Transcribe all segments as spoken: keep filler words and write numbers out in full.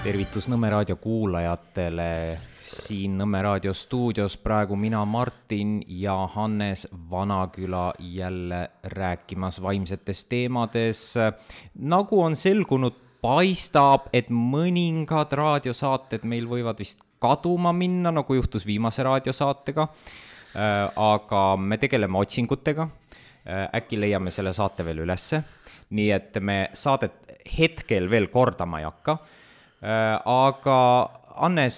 Tervitus Nõmme raadio kuulajatele. Siin Nõmme raadio stuudios praegu mina Martin ja Hannes Vanaküla jälle rääkimas vaimsetes teemades. Nagu on selgunud, paistab, et mõningad raadiosaated meil võivad vist kaduma minna, nagu juhtus viimase raadiosaatega. Aga me tegeleme otsingutega. Äkki leiame selle saate veel ülesse. Nii et me saadet hetkel veel kordama ei hakka. Aga Hannes,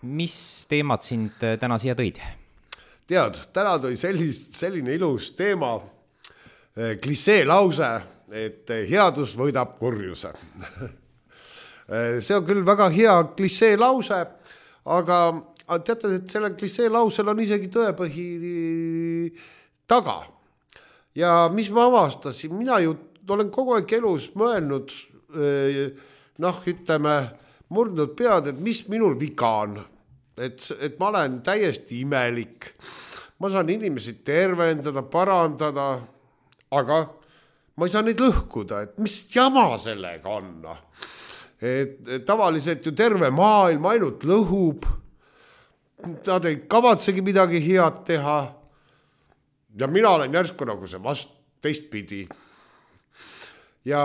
mis teemad sind täna siia tõid? Tead, täna tõi sellist, selline ilus teema, klissee lause, et headus võidab kurjuse. See on küll väga hea klissee lause, aga teate, et selle klissee lausel on isegi tõepõhi taga. Ja mis ma avastasin, mina ju olen kogu aeg elus mõelnud, noh, ütleme, murdnud pead, et mis minul viga on. Et, et ma olen täiesti imelik. Ma saan inimesi tervendada, parandada, aga ma ei saa neid lõhkuda, et mis jama sellega on. Et, et tavaliselt ju terve maailm ainult lõhub. Nad ei kavatsegi midagi head teha. Ja mina olen järsku nagu see vast teistpidi. Ja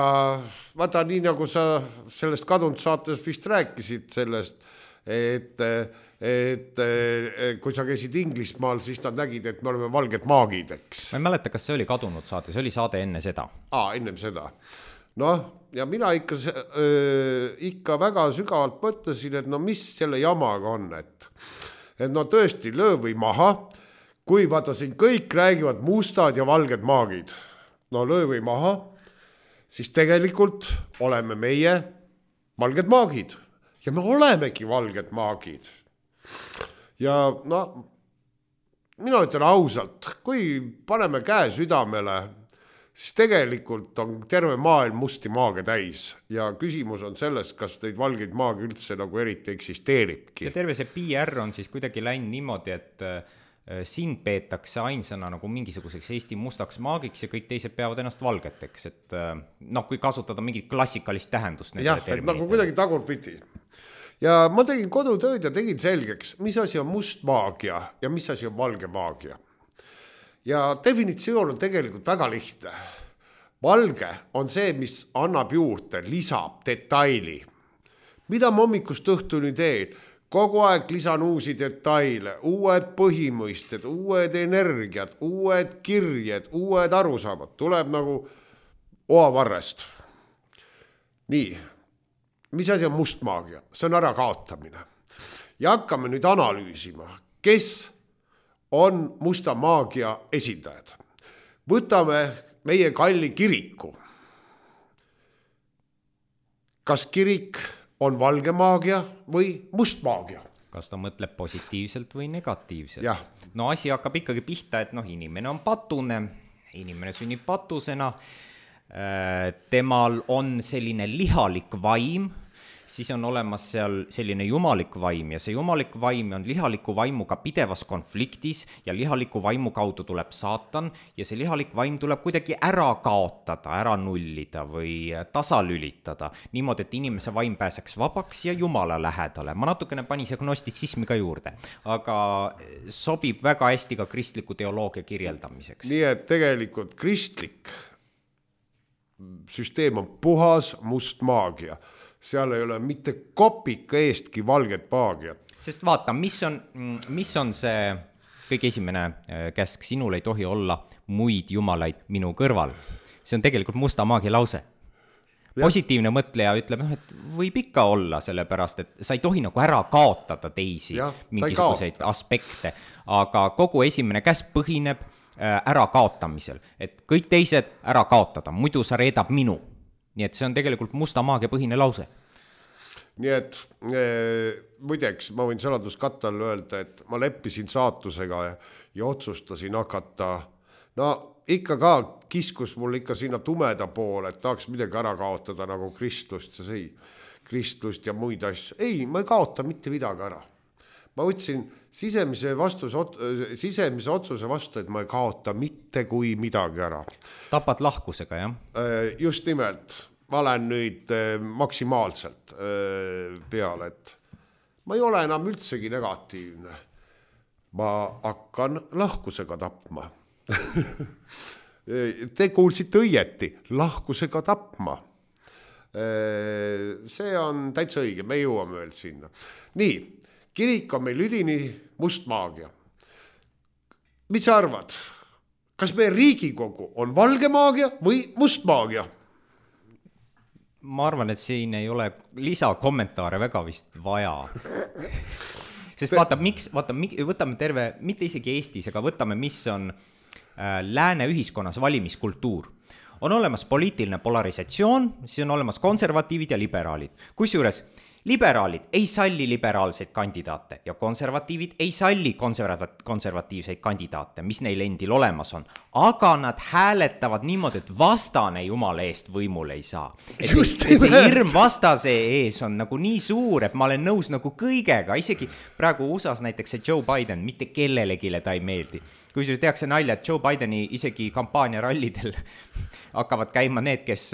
vaata, nii nagu sa sellest kadunud saates vist rääkisid sellest, et, et kui sa käisid Inglismaal, siis nad nägid, et me oleme valged maagid, eks. Ma ei mäleta, kas see oli kadunud saate, see oli saade enne seda. Aa, enne seda. Noh, ja mina ikka, äh, ikka väga sügavalt mõtlesin, et no mis selle jamaga on, et, et no tõesti löö või maha, kui vaata siin kõik räägivad mustad ja valged maagid. No löö või maha, siis tegelikult oleme meie valged maagid. Ja me olemegi valged maagid. Ja no, mina ütlen ausalt, kui paneme käe südamele, siis tegelikult on terve maailm musti maage täis. Ja küsimus on selles, kas neid valgeid maagi üldse nagu eriti eksisteeribki. Ja terve see P R on siis kuidagi läinud niimoodi, et sind peetakse ainsana nagu mingisuguseks Eesti mustaks maagiks ja kõik teised peavad ennast valgeteks, et noh, kui kasutada mingit klassikalist tähendust. Jah, et nagu kuidagi tagurpidi. Ja ma tegin kodutööd ja tegin selgeks, mis asi on must maagia ja mis asi on valge maagia. Ja definitsioon on tegelikult väga lihtne. Valge on see, mis annab juurde, lisab detaili. Mida ma hommikust õhtuni teen? Kogu aeg lisan uusi detaile, uued põhimõisted, uued energiat, uued kirjed, uued arusaamad. Tuleb nagu oavarrest. Nii, mis asi on must maagia? See on ära kaotamine. Ja hakkame nüüd analüüsima, kes on musta maagia esindajad. Võtame meie kalli kiriku. Kas kirik on valge maagia või must maagia? Kas ta mõtleb positiivselt või negatiivselt? Ja. No asi hakkab ikkagi pihta, et noh, inimene on patune, inimene sünnib patusena, temal on selline lihalik vaim, siis on olemas seal selline jumalik vaim ja see jumalik vaim on lihaliku vaimuga pidevas konfliktis ja lihaliku vaimu kaudu tuleb saatan ja see lihalik vaim tuleb kuidagi ära kaotada, ära nullida või tasalülitada niimoodi, et inimese vaim pääseks vabaks ja jumala lähedale. Ma natukene panin see gnostitsismi ka juurde, aga sobib väga hästi ka kristliku teoloogia kirjeldamiseks. Nii et tegelikult kristlik süsteem on puhas must maagia. Seal ei ole mitte kopika eestki valget maagiat. Sest vaata, mis on, mis on see kõige esimene käsk, sinul ei tohi olla muid jumalaid minu kõrval. See on tegelikult musta maagia lause. Positiivne mõtleja ütleb, et võib ikka olla sellepärast, et sa ei tohi nagu ära kaotada teisi ja, mingisuguseid aspekte, aga kogu esimene käsk põhineb ära kaotamisel, et kõik teised ära kaotada, muidu sa reedab minu. Nii et see on tegelikult musta maagia põhine lause. Nii et e, muideks, ma võin saladuskattal öelda, et ma leppisin saatusega ja, ja otsustasin hakata, no ikka ka kiskus mul ikka sinna tumeda poole, et tahaks midagi ära kaotada nagu kristlust ja see, kristlust ja muid asju. Ei, ma ei kaota mitte midagi ära. Ma võtsin sisemise, vastus, sisemise otsuse vastu, et ma ei kaota mitte kui midagi ära. Tapad lahkusega, jah? Just nimelt. ma olen nüüd maksimaalselt peale, et ma ei ole enam üldsegi negatiivne. Ma hakkan lahkusega tapma. Te kuulsite õieti, lahkusega tapma. See on täitsa õige, me jõuame veel sinna. Nii, kirik on meil üdini must maagia. Mis sa arvad? Kas meie Riigikogu on valge maagia või must maagia? Ma arvan, et siin ei ole lisakommentaare väga vist vaja. Sest vaata, miks, vaata, võtame terve, mitte isegi Eestis, aga võtame, mis on äh, lääne ühiskonnas valimiskultuur. On olemas poliitiline polarisatsioon, siis on olemas konservatiivid ja liberaalid. Kusjuures liberaalid ei salli liberaalseid kandidaate ja konservatiivid ei salli konservat- konservatiivseid kandidaate, mis neil endil olemas on. Aga nad hääletavad niimoodi, et vastane jumala eest võimul ei saa. Et see, et see hirm vastase ees on nagu nii suur, et ma olen nõus nagu kõigega. Isegi praegu U S A-s näiteks see Joe Biden, mitte kellelegile ta ei meeldi. Kui see tehakse nalja, et Joe Bideni isegi kampaania rallidel hakkavad käima need, kes,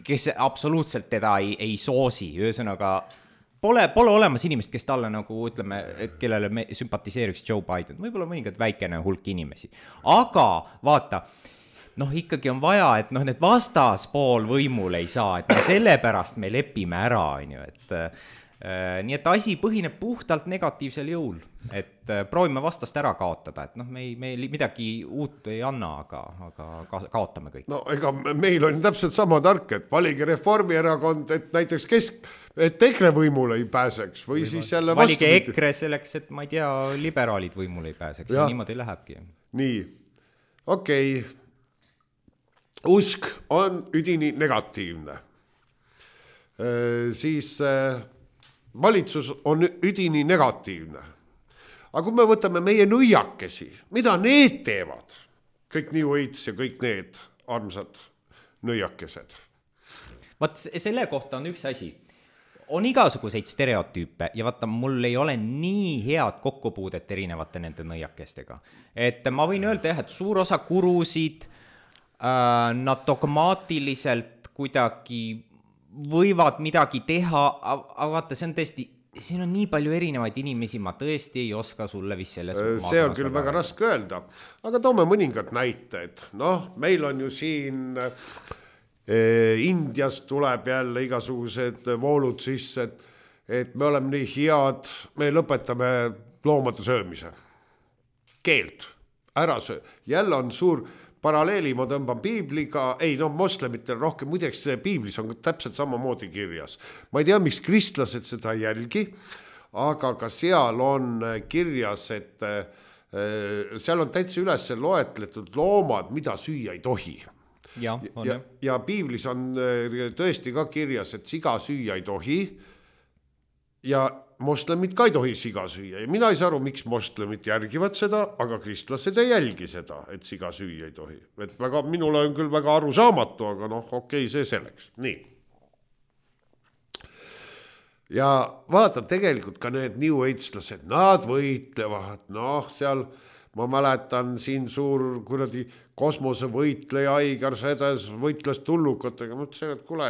kes absoluutselt teda ei, ei soosi. Ühesõnaga, pole, pole olemas inimest, kes talle nagu, ütleme, kellele me sümpatiseeriks Joe Biden. Võib-olla mõningad väikene hulk inimesi. Aga vaata, noh, ikkagi on vaja, et noh, need vastaspool võimul ei saa, et no sellepärast me lepime ära, on ju, et äh, nii et asi põhineb puhtalt negatiivsel jõul, et äh, proovime vastast ära kaotada, et noh, me, ei, me midagi uut ei anna, aga, aga ka, kaotame kõik. No ega meil on täpselt sama tark, et valige Reformierakond, et näiteks kesk, et EKRE võimule ei pääseks või, või siis jälle valige vastu... EKRE selleks, et ma ei tea, liberaalid võimule ei pääseks, ja niimoodi lähebki. Nii, okei okay. Usk on üdini negatiivne. Siis valitsus on üdini negatiivne. Aga kui me võtame meie nõiakesi, mida need teevad? Kõik New Age ja kõik need armsad nõiakesed. Vaat selle kohta on üks asi. On igasuguseid stereotüüpe ja vaata, mul ei ole nii head kokkupuudet erinevate nende nõiakestega. Et ma võin öelda, et suur osa kurusid, äh, nad dogmaatiliselt kuidagi võivad midagi teha, aga vaata, see on tõesti, siin on nii palju erinevaid inimesi, ma tõesti ei oska sulle vist selles. See on küll väga raske öelda, aga toome mõningad näited. Noh, meil on ju siin eh, Indias tuleb jälle igasugused voolud sisse, et, et me oleme nii head, me lõpetame loomade söömise. Keelt, ära söö. Jälle on suur paralleeli, ma tõmban piibliga, ei no moslemitel rohkem, muideks piiblis on täpselt samamoodi kirjas. Ma ei tea, miks kristlased seda jälgi, aga ka seal on kirjas, et seal on täitsa üles loetletud loomad, mida süüa ei tohi. Ja, on, ja, ja piiblis on tõesti ka kirjas, et siga süüa ei tohi ja moslemid ka ei tohi siga süüa. Ja mina ei saa aru, miks moslemid järgivad seda, aga kristlased ei jälgi seda, et siga süüa ei tohi. Et väga, minule on küll väga arusaamatu, aga noh, okei, see selleks. Nii. Ja vaata, tegelikult ka need New Age-lased, nad võitlevad, noh, seal ma mäletan siin suur kuradi kosmosevõitleja Aigar Sedes võitles tullukatega, mõtlesin, et kuule,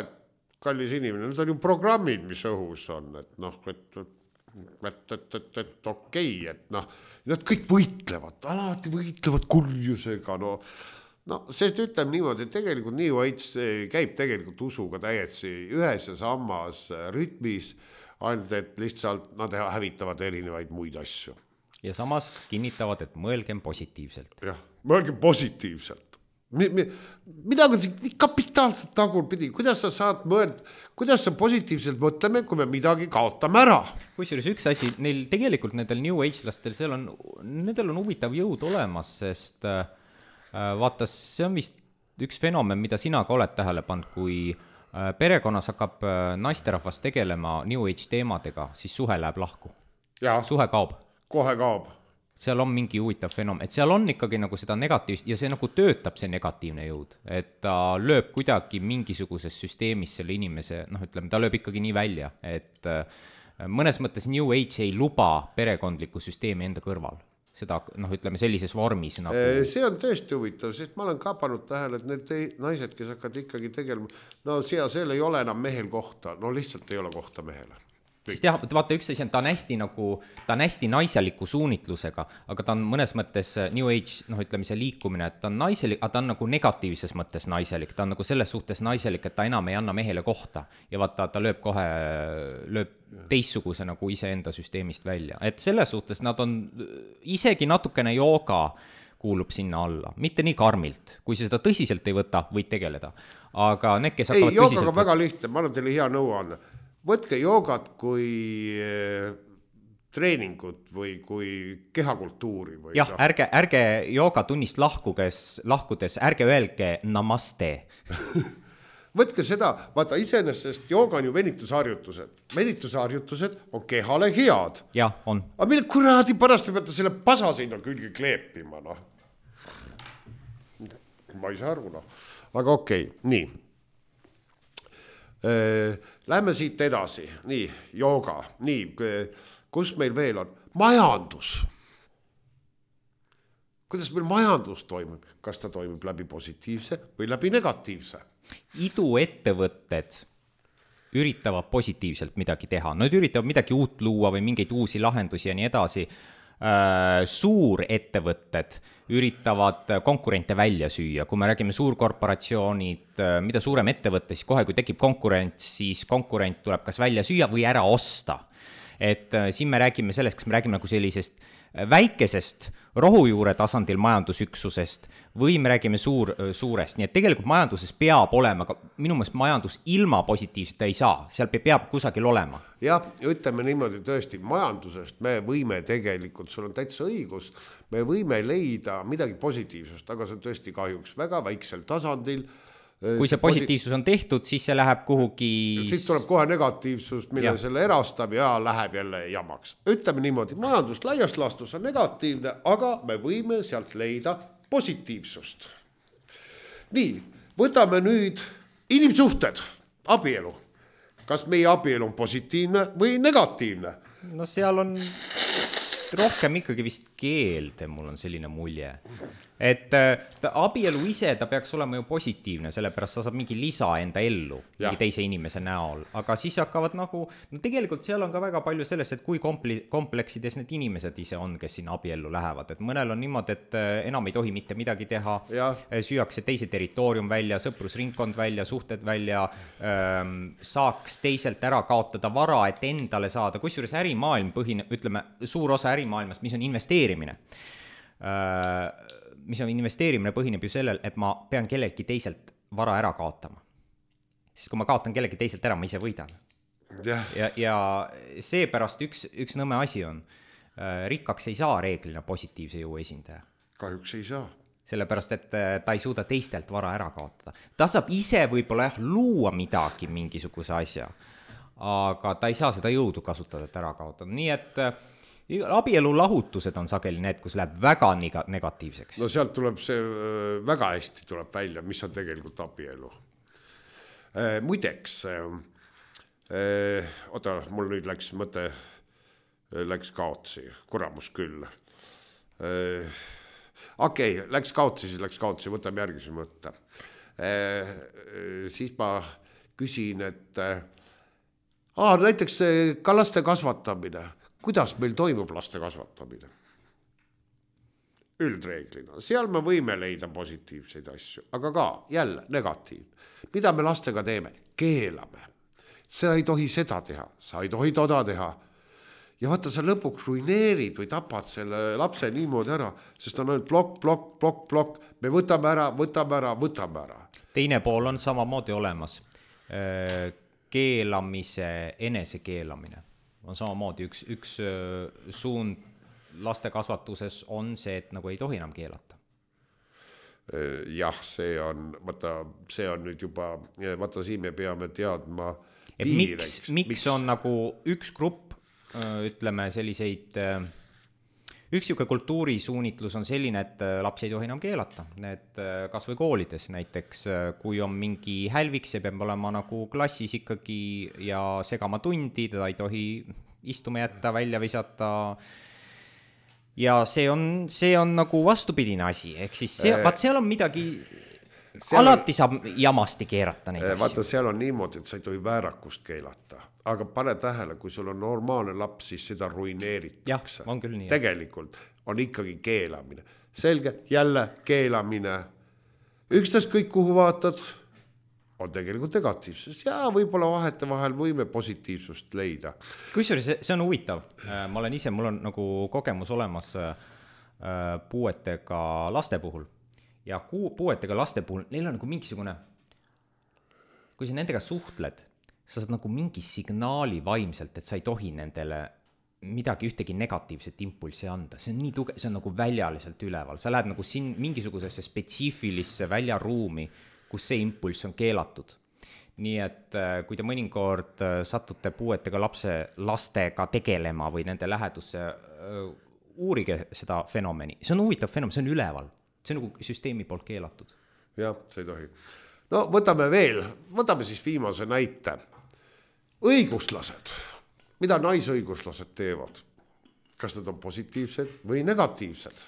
kallis inimene, need on ju programmid, mis õhus on, et noh, et et, et, et, et okei, et noh, nad kõik võitlevad, alati võitlevad kurjusega, no, no sest ütleme niimoodi, et tegelikult New Age käib tegelikult usuga täiesti ühes ja samas rütmis, ainult et lihtsalt nad hävitavad erinevaid muid asju. Ja samas kinnitavad, et mõelgem positiivselt. Jah, mõelgem positiivselt. Mida on siin kapitaalselt tagurpidi, kuidas sa saad mõelda, kuidas sa positiivselt mõtleme, kui me midagi kaotame ära? Kusjuures üks asi, neil tegelikult nendel New Age-lastel, seal on, nendel on huvitav jõud olemas, sest äh, vaata, see on vist üks fenomen, mida sina ka oled tähele pannud, kui äh, perekonnas hakkab äh, naisterahvas tegelema New Age teemadega, siis suhe läheb lahku. Ja, suhe kaob. Kohe kaob. Seal on mingi huvitav fenomen, et seal on ikkagi nagu seda negatiivst ja see nagu töötab see negatiivne jõud, et ta lööb kuidagi mingisuguses süsteemis selle inimese, noh ütleme, ta lööb ikkagi nii välja, et mõnes mõttes New Age ei luba perekondliku süsteemi enda kõrval. seda, noh, ütleme sellises vormis nagu... See on tõesti huvitav, sest ma olen ka pannud tähele, et need naised, kes hakkavad ikkagi tegelema, no siia seal ei ole enam mehel kohta, no lihtsalt ei ole kohta mehele. Sest jah, vaata üks asi on, ta on hästi nagu, ta on hästi naiseliku suunitlusega, aga ta on mõnes mõttes New Age, noh ütleme see liikumine, et ta on naiselik, aga ta on nagu negatiivses mõttes naiselik, ta on nagu selles suhtes naiselik, et ta enam ei anna mehele kohta ja vaata, ta lööb kohe, lööb teistsuguse nagu iseenda süsteemist välja, et selles suhtes nad on isegi natukene jooga kuulub sinna alla, mitte nii karmilt, kui sa seda tõsiselt ei võta, võid tegeleda, aga need, kes hakkavad ei, joogaga väga lihtne, ma annan teile hea nõu anda. Võtke joogat kui treeningut või kui kehakultuuri. Või jah, ärge, ärge joogatunnist lahkudes, lahkudes, ärge öelge namaste. Võtke seda, vaata iseenesest jooga on ju venitusharjutused. Venitusharjutused on kehale head. Jah, on. Aga mille kuradi pärast te peate selle pasa sinna külge kleepima, noh. Ma ei saa aru, noh. Aga okei, okay, nii. Lähme siit edasi, nii, jooga, nii, kus meil veel on? Majandus. Kuidas meil majandus toimub? Kas ta toimub läbi positiivse või läbi negatiivse? Iduettevõtted üritavad positiivselt midagi teha. Nad üritavad midagi uut luua või mingeid uusi lahendusi ja nii edasi. Suurettevõtted üritavad konkurente välja süüa. Kui me räägime suurkorporatsioonid, mida suurem ettevõte, siis kohe, kui tekib konkurent, siis konkurent tuleb kas välja süüa või ära osta. Et siin me räägime sellest, kas me räägime nagu sellisest väikesest rohujuure tasandil majandusüksusest või me räägime suur, suurest. Nii et tegelikult majanduses peab olema, aga minu meelest majandus ilma positiivseta ei saa, seal peab kusagil olema. Jah, ütleme niimoodi tõesti, majandusest me võime tegelikult, sul on täitsa õigus, me võime leida midagi positiivsust, aga see on tõesti kahjuks väga väiksel tasandil. Kui see positiivsus on tehtud, siis see läheb kuhugi... Siis tuleb kohe negatiivsus, mille ja. Selle erastab ja läheb jälle jamaks. Ütleme niimoodi, majandus laias laastus on negatiivne, aga me võime sealt leida positiivsust. Nii, võtame nüüd inimsuhted, abielu. Kas meie abielu on positiivne või negatiivne? No seal on rohkem ikkagi vist keelde, mul on selline mulje. Et ta, abielu ise, ta peaks olema ju positiivne, sellepärast sa saab mingi lisa enda ellu, mingi teise inimese näol. Aga siis hakkavad nagu, no tegelikult seal on ka väga palju sellest, et kui kompli, kompleksides need inimesed ise on, kes sinna abiellu lähevad. Et mõnel on niimoodi, et enam ei tohi mitte midagi teha, ja. Süüakse teise territoorium välja, sõprusringkond välja, suhted välja, ähm, saaks teiselt ära kaotada vara, et endale saada, kusjuures ärimaailm põhine, ütleme, suur osa ärimaailmast, mis on investeerimine. Äh, mis on investeerimine põhineb ju sellel, et ma pean kellelgi teiselt vara ära kaotama. Sest kui ma kaotan kellelgi teiselt ära, ma ise võidan. Ja, ja, ja seepärast üks, üks nõme asi on, rikkaks ei saa reeglina positiivse jõu esindaja. Kahjuks ei saa. Sellepärast, et ta ei suuda teistelt vara ära kaotada. Ta saab ise võib-olla jah, luua midagi mingisuguse asja, aga ta ei saa seda jõudu kasutada, et ära kaotada. Nii et abielu lahutused on sageli need, kus läheb väga negatiivseks. No sealt tuleb see väga hästi tuleb välja, mis on tegelikult abielu. Muideks, oota, mul nüüd läks mõte, läks kaotsi, kuramus küll. Okei, okay, läks kaotsi, siis läks kaotsi, võtame järgmise mõtte. Siis ma küsin, et aa, näiteks ka laste kasvatamine. Kuidas meil toimub laste kasvatamine? Üldreeglina. Seal me võime leida positiivseid asju, aga ka jälle negatiivne. Mida me lastega teeme? Keelame. Sa ei tohi seda teha, sa ei tohi toda teha. Ja vaata, sa lõpuks ruineerid või tapad selle lapse niimoodi ära, sest on ainult plokk, plokk, plokk, plokk. Me võtame ära, võtame ära, võtame ära. Teine pool on samamoodi olemas. Keelamise, enese keelamine. On samamoodi üks, üks suund laste kasvatuses on see, et nagu ei tohi enam keelata. Jah, see on, vaata, see on nüüd juba, vaata siin me peame teadma et miks, miks, miks on nagu üks grupp, ütleme selliseid, üks siuke kultuurisuunitlus on selline, et laps ei tohi enam keelata. Need kas või koolides näiteks, kui on mingi hälvik, see peab olema nagu klassis ikkagi ja segama tundi, teda ei tohi istuma jätta, välja visata. ja see on, see on nagu vastupidine asi, ehk siis see, vaat seal on midagi, seal alati saab jamasti keerata neid asju. Vaata, seal on niimoodi, et sa ei tohi väärakust keelata, aga pane tähele, kui sul on normaalne laps, siis seda ruineeritakse. Jah, on küll nii. Tegelikult on ikkagi keelamine. Selge, jälle keelamine. Ükstas kõik, kuhu vaatad, on tegelikult negatiivsus. Ja võib-olla vahete vahel võime positiivsust leida. Kusjuures see, see on huvitav. Ma olen ise, mul on nagu kogemus olemas puuetega laste puhul. Ja puuetega laste puhul, neil on nagu mingisugune, kui sa nendega suhtled, sa saad nagu mingi signaali vaimselt, et sa ei tohi nendele midagi, ühtegi negatiivset impulsi anda. See on nii tuge, see on nagu väljaliselt üleval. Sa lähed nagu siin mingisugusesse spetsiifilisse väljaruumi, kus see impulss on keelatud. Nii et kui te mõnikord satute puuetega lapse, lastega tegelema või nende lähedusse, uurige seda fenomeni. See on huvitav fenomen, see on üleval. See on nagu süsteemi poolt keelatud. Jah, see ei tohi. No võtame veel, võtame siis viimase näite. Õiguslased. Mida naisõiguslased teevad? Kas nad on positiivsed või negatiivsed?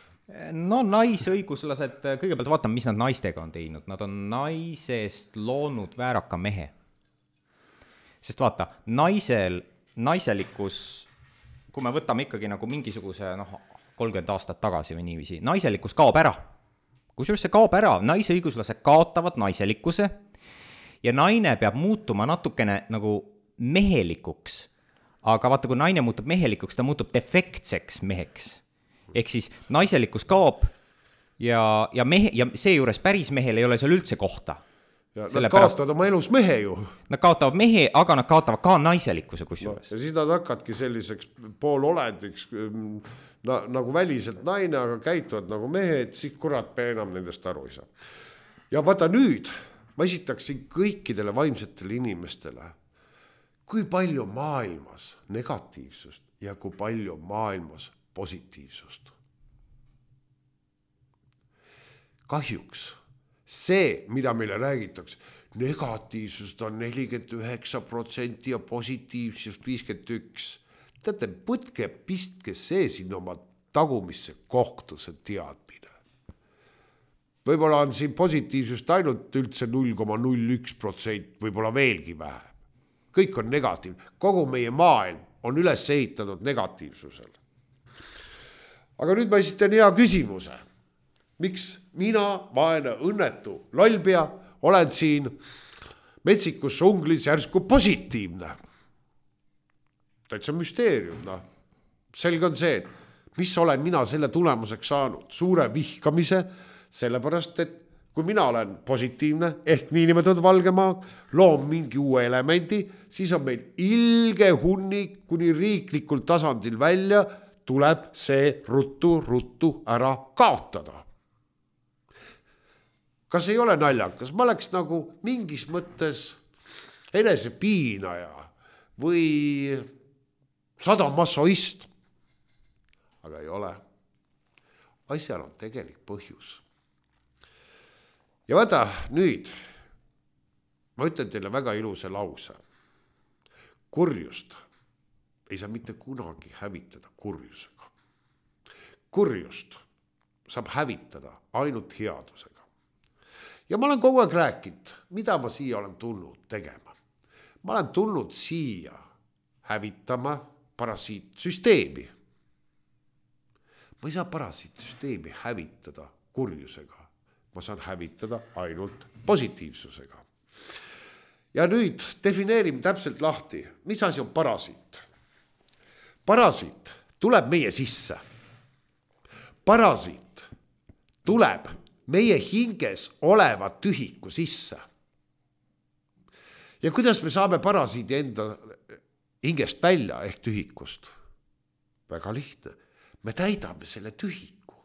No naisõiguslased, kõigepealt vaatame, mis nad naistega on teinud. Nad on naisest loonud vääraka mehe. Sest vaata, naisel, naiselikkus, kui me võtame ikkagi nagu mingisuguse noh, kolmkümmend aastat tagasi või niiviisi, naiselikkus kaob ära. Kusjuures see kaob ära, naisõiguslased kaotavad naiselikkuse ja naine peab muutuma natukene nagu mehelikuks. Aga vaata, kui naine muutub mehelikuks, ta muutub defektseks meheks. Ehk siis naiselikkus kaob ja, ja, mehe, ja see juures päris mehel ei ole seal üldse kohta. Ja nad kaotavad oma elus mehe ju. Nad kaotavad mehe, aga nad kaotavad ka naiselikkuse kusjuures. No, ja siis nad hakkadki selliseks poololendiks na, nagu väliselt naine, aga käituvad nagu mehe, et siis kurat enam nendest aru ei saa. Ja vaata nüüd, ma esitaksin kõikidele vaimsetele inimestele, kui palju maailmas negatiivsust ja kui palju maailmas positiivsust. Kahjuks see, mida meile räägitakse, negatiivsust on nelikümmend üheksa protsenti ja positiivsust viiskümmend üks. Teate, võtke pistke see sinna oma tagumisse kohta, see teadmine. Võib-olla on siin positiivsust ainult üldse null koma null üks protsenti, võib-olla veelgi vähem. Kõik on negatiivne. Kogu meie maailm on üles ehitatud negatiivsusel. Aga nüüd ma esitan hea küsimuse. Miks mina, vaene, õnnetu, lollpea, olen siin metsikus unglis järsku positiivne? Täitsa müsteerium. No. Selge on see, et mis olen mina selle tulemuseks saanud? Suure vihkamise, sellepärast, et kui mina olen positiivne, ehk niinimetatud valgemaa, loom mingi uue elemendi, siis on meil ilge hunnik kuni riiklikul tasandil välja, tuleb see ruttu, ruttu ära kaotada. Kas ei ole naljakas? Ma oleks nagu mingis mõttes enesepiinaja või sadamassoist. Aga ei ole. Asjal on tegelik põhjus. Ja vaata nüüd, ma ütlen teile väga ilusa lause. Kurjust ei saa mitte kunagi hävitada kurjusega. Kurjust saab hävitada ainult headusega. Ja ma olen kogu aeg rääkinud, mida ma siia olen tulnud tegema. Ma olen tulnud siia hävitama parasiitsüsteemi. Ma ei saa parasiitsüsteemi hävitada kurjusega. Ma saan hävitada ainult positiivsusega. Ja nüüd defineerime täpselt lahti, mis asi on parasiit. Parasiit tuleb meie sisse. Parasiit tuleb meie hinges oleva tühiku sisse. Ja kuidas me saame parasiidi enda hingest välja ehk tühikust? Väga lihtne. Me täidame selle tühiku.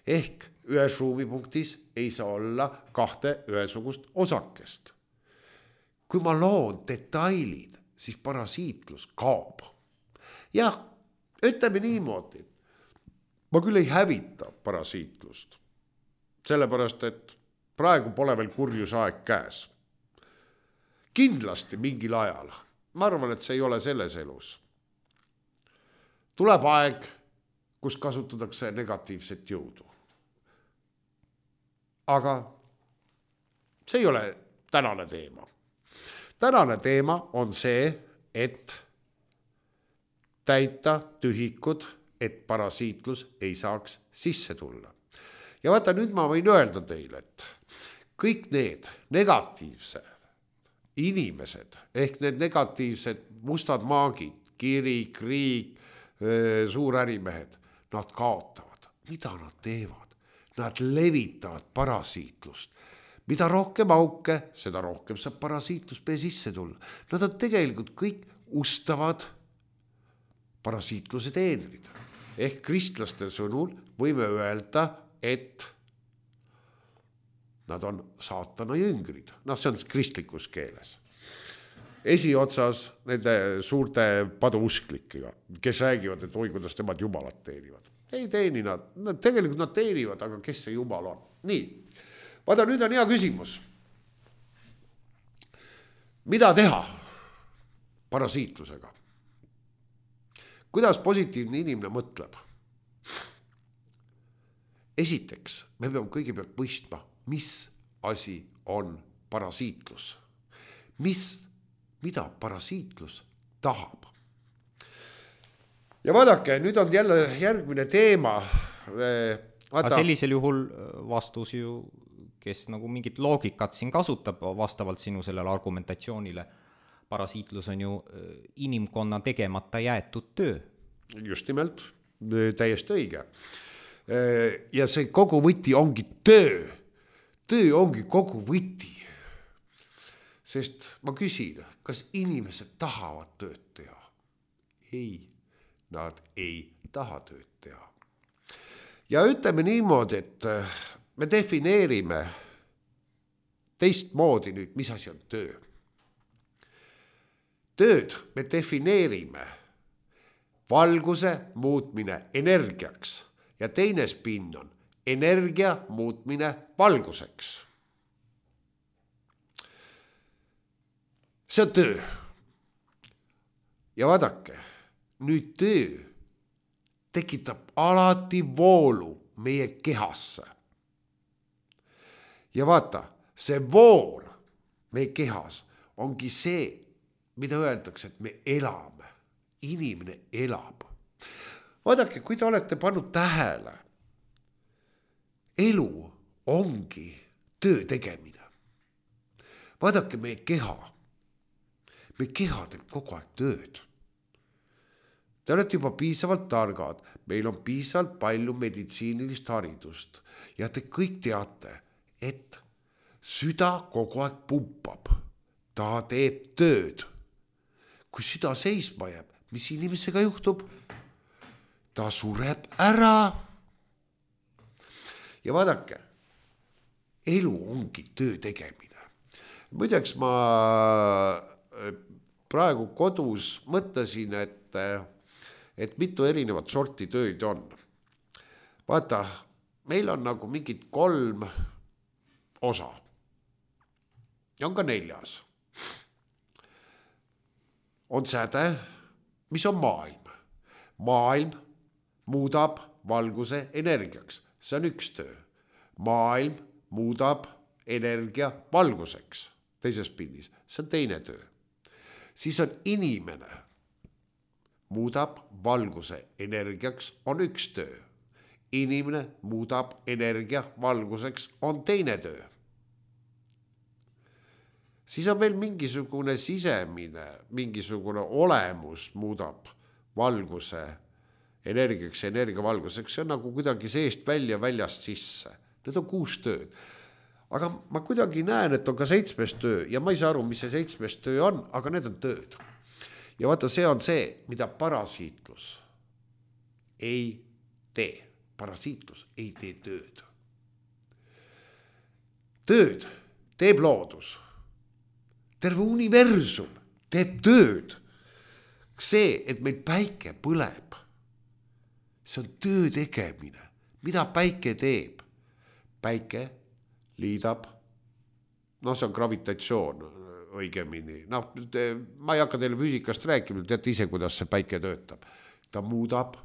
Ehk ühes ruumipunktis ei saa olla kahte ühesugust osakest. Kui ma loon detailid, siis parasiitlus kaob. Jah, ütleme niimoodi. Ma küll ei hävita parasiitlust. Sellepärast, et praegu pole veel kurjusaeg käes. Kindlasti mingil ajal. Ma arvan, et see ei ole selles elus. Tuleb aeg, kus kasutatakse negatiivset jõudu. Aga see ei ole tänane teema. Tänane teema on see, et täita tühikud, et parasiitlus ei saaks sisse tulla. Ja vaata, nüüd ma võin öelda teile, et kõik need negatiivsed inimesed, ehk need negatiivsed mustad maagid, kiri, kriik, suurärimehed, nad kaotavad. Mida nad teevad? Nad levitavad parasiitlust. Mida rohkem auke, seda rohkem saab parasiitlus meie sisse tulla. Nad on tegelikult kõik ustavad parasiitluse teenrid. Ehk kristlaste sõnul võime öelda, et nad on saatana jüngrid. Noh, see on kristlikus keeles. Esiotsas nende suurte paduusklikega, kes räägivad, et oi, kuidas nemad jumalat teenivad. Ei teeni nad, nad, tegelikult nad teenivad, aga kes see jumal on? Nii, vaata, nüüd on hea küsimus. Mida teha parasiitlusega? Kuidas positiivne inimene mõtleb? Esiteks, me peame kõigepealt mõistma, mis asi on parasiitlus. Mis, mida parasiitlus tahab. Ja vaadake, nüüd on jälle järgmine teema. Vaata. Aga sellisel juhul vastus ju, kes nagu mingit loogikat siin kasutab vastavalt sinu sellele argumentatsioonile, parasiitlus on ju inimkonna tegemata jäetud töö. Just nimelt, täiesti õige. Ja see kogu võti ongi töö. Töö ongi kogu võti. Sest ma küsin, kas inimesed tahavad tööd teha? Ei, nad ei taha tööd teha. Ja ütleme niimoodi, et me defineerime teistmoodi nüüd, mis asi on töö. Tööd me defineerime valguse muutmine energiaks. Ja teine spinn on energia muutmine valguseks. See on töö. Ja vaadake, nüüd töö tekitab alati voolu meie kehasse. Ja vaata, see vool meie kehas ongi see, mida öeldakse, et me elame. Inimene elab. Vaadake, kui te olete pannud tähele, elu ongi töö tegemine. Vaadake meie keha. Meie keha teeb kogu aeg tööd. Te olete juba piisavalt targad. Meil on piisavalt palju meditsiinilist haridust. Ja te kõik teate, et süda kogu aeg pumpab. Ta teeb tööd. Kui süda seisma jääb, mis inimesega juhtub? Ta sureb ära. Ja vaadake, elu ongi töö tegemine. Muideks ma praegu kodus mõtlesin, et, et mitu erinevat sorti tööd on. Vaata, meil on nagu mingid kolm osa. Ja on ka neljas. On säde, mis on maailm. Maailm muudab valguse energiaks. See on üks töö. Maailm muudab energia valguseks. Teises pinnis. See on teine töö. Siis on inimene muudab valguse energiaks on üks töö. Inimene muudab energia valguseks on teine töö. Siis on veel mingisugune sisemine, mingisugune olemus muudab valguse energiaks ja energiavalguseks. See on nagu kuidagi seest välja, väljast sisse. Need on kuus tööd. Aga ma kuidagi näen, et on ka seitsmes töö ja ma ei saa aru, mis see seitsmes töö on, aga need on tööd. Ja vaata, see on see, mida parasiitlus ei tee. Parasiitlus ei tee tööd. Tööd teeb loodus. Terve universum teeb tööd. See, et meil päike põleb, see on töö tegemine. Mida päike teeb? Päike liidab, noh, see on gravitatsioon õigemini. Noh, ma ei hakka teile füüsikast rääkima, teate ise, kuidas see päike töötab. Ta muudab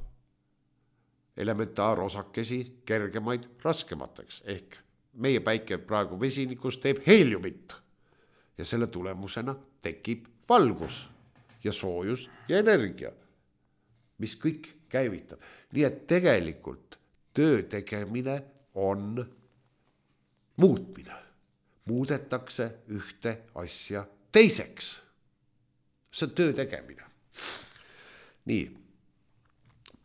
elementaarosakesi kergemaid raskemateks ehk meie päike praegu vesinikus teeb heeliumit ja selle tulemusena tekib valgus ja soojus ja energia, mis kõik käivitab. Nii et tegelikult töö tegemine on muutmine. Muudetakse ühte asja teiseks. See on töö tegemine. Nii,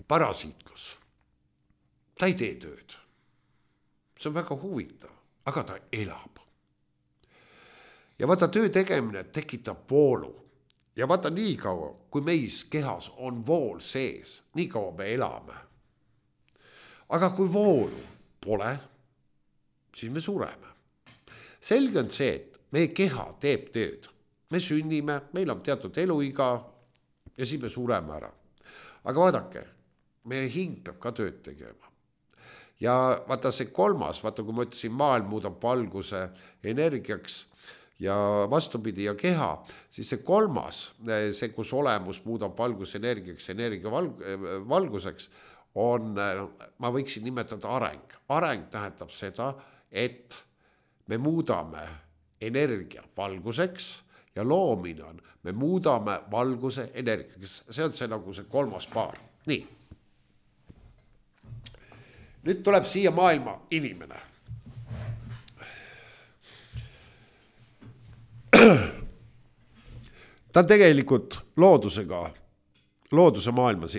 parasiitlus. Ta ei tee tööd. See on väga huvitav, aga ta elab. Ja vaata, töö tegemine tekitab voolu. Ja vaata, nii kaua, kui meis kehas on vool sees, nii kaua me elame. Aga kui voolu pole, siis me sureme. Selge on see, et meie keha teeb tööd. Me sünnime, meil on teatud eluiga ja siis me sureme ära. Aga vaadake, meie hing peab ka tööd tegema. Ja vaata see kolmas, vaata kui ma ütlesin, maailm muudab valguse energiaks ja vastupidi ja keha, siis see kolmas, see kus olemus muudab valguse energiaks, energia valguseks, on, ma võiksin nimetada areng. Areng tähendab seda, et me muudame energia valguseks ja loomine on, me muudame valguse energiaks. See on see nagu see kolmas paar. Nii. Nüüd tuleb siia maailma inimene. Ta on tegelikult loodusega, looduse maailmas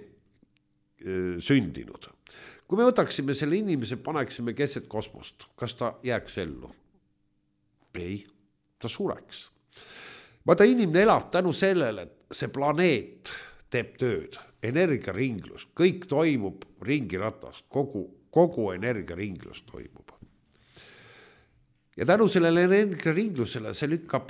sündinud. Kui me võtaksime selle inimese, paneksime keset kosmost, kas ta jääks ellu? Ei, ta sureks. Vaata, inimene elab tänu sellele, et see planeet teeb tööd, energiaringlus, kõik toimub ringiratast, kogu, kogu energiaringlus toimub. Ja tänu sellele energiaringlusele see lükkab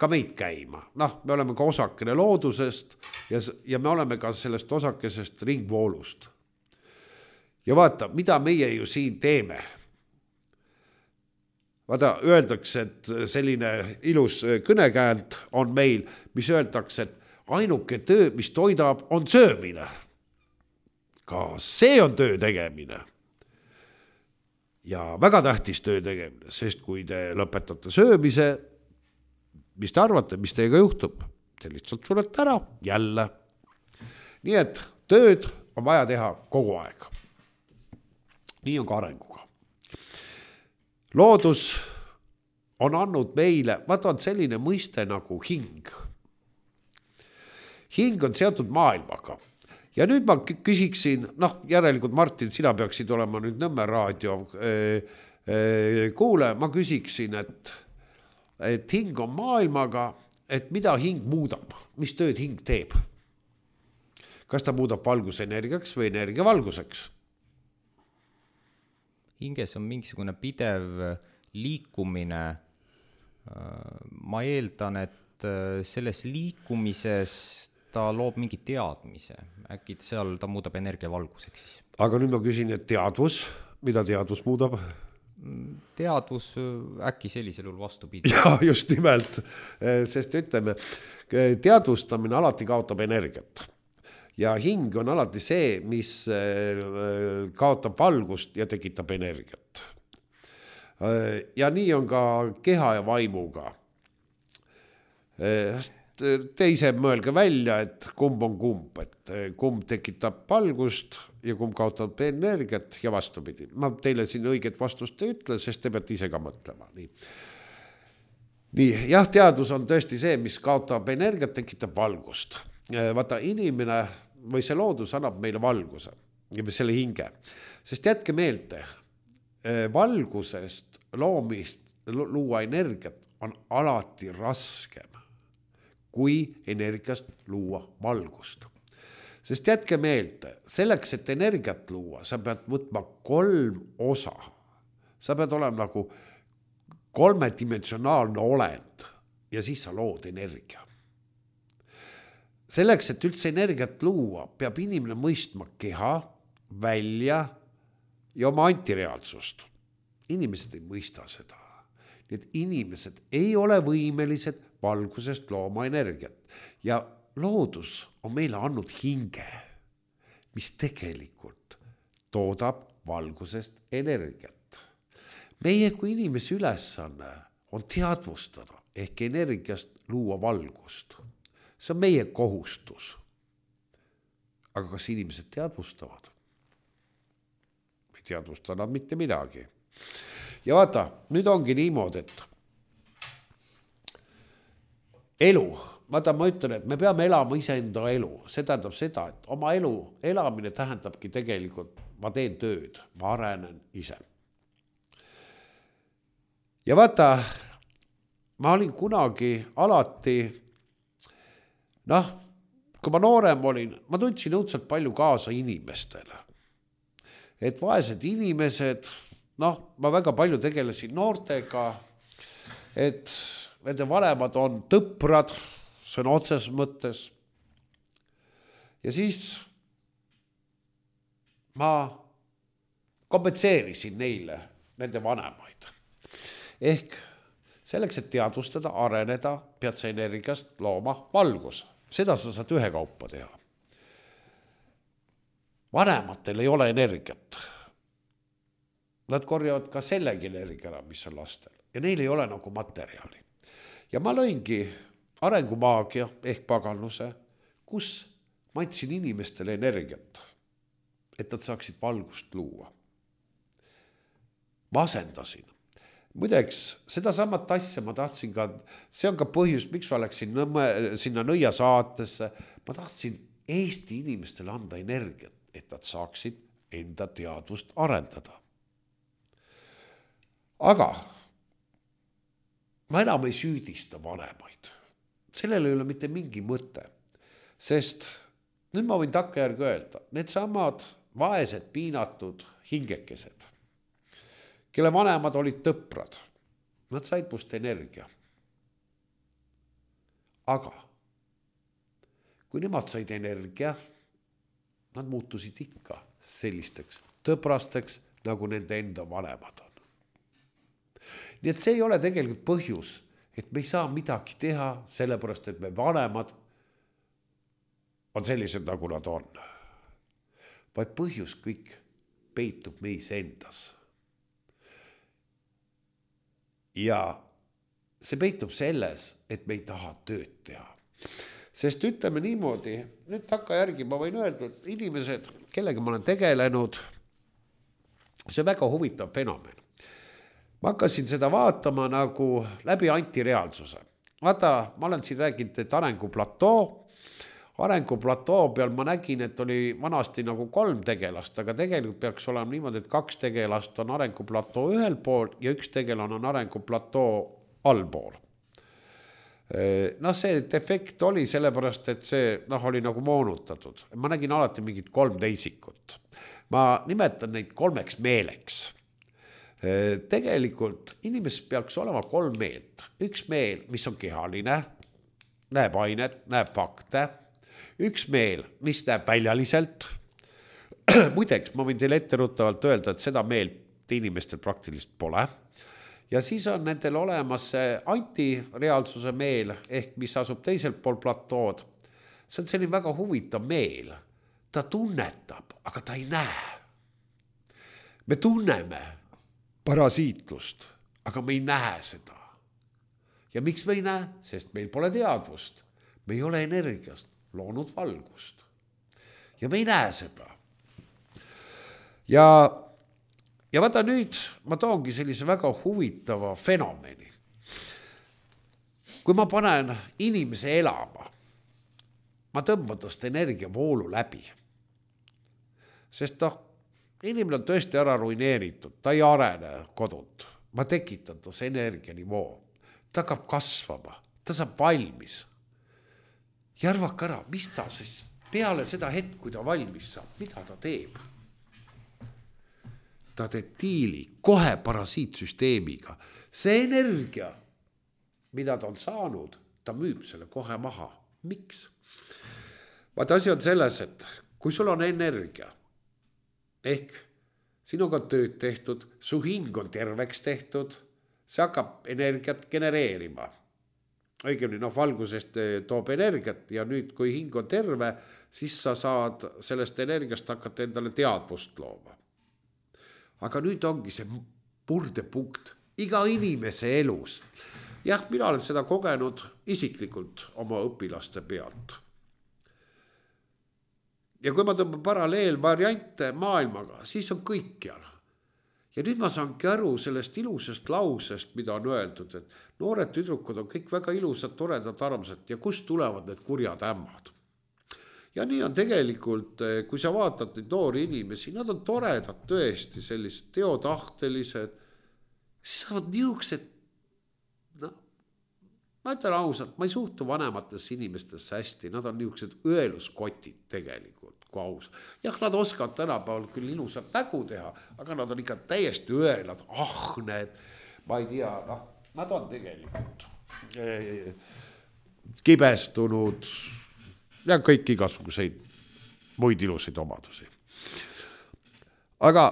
ka meid käima. Noh, me oleme ka osakene loodusest ja, ja me oleme ka sellest osakesest ringvoolust. Ja vaata, mida meie ju siin teeme. Vaata, öeldakse, et selline ilus kõnekäänd on meil, mis öeldakse, et ainuke töö, mis toidab, on söömine. Ka see on töö tegemine. Ja väga tähtis töö tegemine, sest kui te lõpetate söömise, mis te arvate, mis teiega juhtub? Te lihtsalt surete ära, jälle. Nii et tööd on vaja teha kogu aeg. Nii on ka arenguga. Loodus on andnud meile, vaata on selline mõiste nagu hing. Hing on seotud maailmaga. Ja nüüd ma küsiksin, noh järelikult Martin, sina peaksid olema nüüd Nõmme raadio kuule, ma küsiksin, et, et hing on maailmaga, et mida hing muudab, mis tööd hing teeb? Kas ta muudab valgusenergiaks või energia valguseks? Hinges on mingisugune pidev liikumine. Ma eeldan, et selles liikumises ta loob mingi teadmise. Äkki seal ta muudab energia valguseks siis. Aga nüüd ma küsin, et teadvus, mida teadvus muudab? Teadvus äkki sellisel juhul vastupidi. Ja just nimelt, sest ütleme, teadvustamine alati kaotab energiat. Ja hing on alati see, mis kaotab valgust ja tekitab energiat. Ja nii on ka keha ja vaimuga. Teise mõelge välja, et kumb on kumb, et kumb tekitab valgust ja kumb kaotab energiat ja vastupidi. Ma teile siin õiget vastust ei ütle, sest te peate ise ka mõtlema. Nii. Nii, jah, teadvus on tõesti see, mis kaotab energiat, tekitab valgust. Vaata, inimene või see loodus annab meile valguse ja selle hinge. Sest jätke meelde, valgusest loomist luua energiat on alati raskem kui energiast luua valgust. Sest jätke meelde, selleks, et energiat luua, sa pead võtma kolm osa. Sa pead olema nagu kolmedimensionaalne olend ja siis sa lood energia. Selleks, et üldse energiat luua, peab inimene mõistma keha, välja ja oma antireaalsust. Inimesed ei mõista seda. Need inimesed ei ole võimelised valgusest looma energiat. Ja loodus on meile andnud hinge, mis tegelikult toodab valgusest energiat. Meie kui inimese ülesanne on teadvustada ehk energiast luua valgust. See on meie kohustus. Aga kas inimesed teadvustavad? Ei teadvusta nad mitte midagi. Ja vaata, nüüd ongi niimoodi, et elu, vaata ma ütlen, et me peame elama iseenda elu. See tähendab seda, et oma elu elamine tähendabki tegelikult, ma teen tööd, ma arenen ise. Ja vaata, ma olin kunagi alati, noh, kui ma noorem olin, ma tundsin õudselt palju kaasa inimestele. Et vaesed inimesed, noh, ma väga palju tegelesin noortega, et nende vanemad on tõprad, see on otses mõttes. Ja siis ma kompenseerisin neile nende vanemaid. Ehk selleks, et teadvustada, areneda, pead sa energiast looma valgus. Seda sa saad ühe kaupa teha. Vanematel ei ole energiat. Nad korjavad ka sellegi energia, mis on lastel. Ja neil ei ole nagu materjali. Ja ma lõingi arengumaagia ehk paganluse, kus ma andsin inimestele energiat, et nad saaksid valgust luua. Ma asendasin. Muideks, seda samat asja ma tahtsin ka, see on ka põhjus, miks ma läksin nõmme, sinna Nõia saatesse. Ma tahtsin Eesti inimestele anda energiat, et nad saaksid enda teadvust arendada. Aga ma enam ei süüdista vanemaid. Sellel ei ole mitte mingi mõte, sest nüüd ma võin takkajärgi öelda, need samad vaesed piinatud hingekesed, kelle vanemad olid tõprad. Nad said must energia. Aga kui nemad said energia, nad muutusid ikka sellisteks tõprasteks, nagu nende enda vanemad on. Nii et see ei ole tegelikult põhjus, et me ei saa midagi teha, sellepärast, et me vanemad on sellised, nagu nad on. Vaid põhjus kõik peitub meis endas. Ja see peitub selles, et me ei taha tööd teha. Sest ütleme niimoodi, nüüd takka järgi ma võin öelda, et inimesed, kellega ma olen tegelenud, see väga huvitav fenomen. Ma hakkasin seda vaatama nagu läbi antireaalsuse. Vaata, ma olen siin rääginud, et arenguplatoo, arenguplatoo peal ma nägin, et oli vanasti nagu kolm tegelast, aga tegelikult peaks olema niimoodi, et kaks tegelast on arenguplatoo ühel pool ja üks tegelane on arenguplatoo allpool. Noh, see defekt oli sellepärast, et see noh, oli nagu moonutatud. Ma nägin alati mingit kolm teisikut. Ma nimetan neid kolmeks meeleks. Tegelikult inimesed peaks olema kolm meelt. Üks meel, mis on kehaline, näeb ainet, näeb fakte. Üks meel, mis näeb väljaliselt. Muideks, ma võin teile etteruttavalt öelda, et seda meelt inimestel praktiliselt pole. Ja siis on nendel olemas see antireaalsuse meel, ehk mis asub teiselt pool platood. See on selline väga huvitav meel. Ta tunnetab, aga ta ei näe. Me tunneme parasiitlust, aga me ei näe seda. Ja miks me ei näe? Sest meil pole teadvust. Me ei ole energiast loonud valgust. Ja me ei näe seda. Ja, ja vaata nüüd, ma toongi sellise väga huvitava fenomeni. Kui ma panen inimese elama, ma tõmban tast energiavoolu läbi. Sest noh, inimene on tõesti ära ruineeritud, ta ei arene kodut. Ma tekitan tas energianivoo. Ta hakkab kasvama, ta saab valmis. Ja arvake ära, mis ta siis peale seda hetk, kui ta valmis saab, mida ta teeb? Ta teeb diili kohe parasiitsüsteemiga. See energia, mida ta on saanud, ta müüb selle kohe maha. Miks? Vaata, asi on selles, et kui sul on energia, ehk sinuga tööd tehtud, su hing on terveks tehtud, see hakkab energiat genereerima. Õigemini, noh, valgusest toob energiat ja nüüd, kui hing on terve, siis sa saad sellest energiast hakata endale teadvust looma. aga nüüd ongi see murdepunkt iga inimese elus. Jah, mina olen seda kogenud isiklikult oma õpilaste pealt. Ja kui ma tõmban paralleelvariante maailmaga, siis on kõikjal. Ja nüüd ma saangi aru sellest ilusast lausest, mida on öeldud, et noored tüdrukud on kõik väga ilusad, toredad, armsad ja kust tulevad need kurjad ämmad. Ja nii on tegelikult, kui sa vaatad neid noori inimesi, nad on toredad tõesti, sellised teotahtelised, siis on niisugused, no, ma ütlen ausalt, ma ei suhtu vanematesse inimestesse hästi, nad on niisugused õeluskotid tegelikult, kui aus. Jah, nad oskavad tänapäeval küll ilusat nägu teha, aga nad on ikka täiesti õelad, ahned, ma ei tea, noh, nad on tegelikult eh, kibestunud ja kõik igasuguseid muid ilusaid omadusi. Aga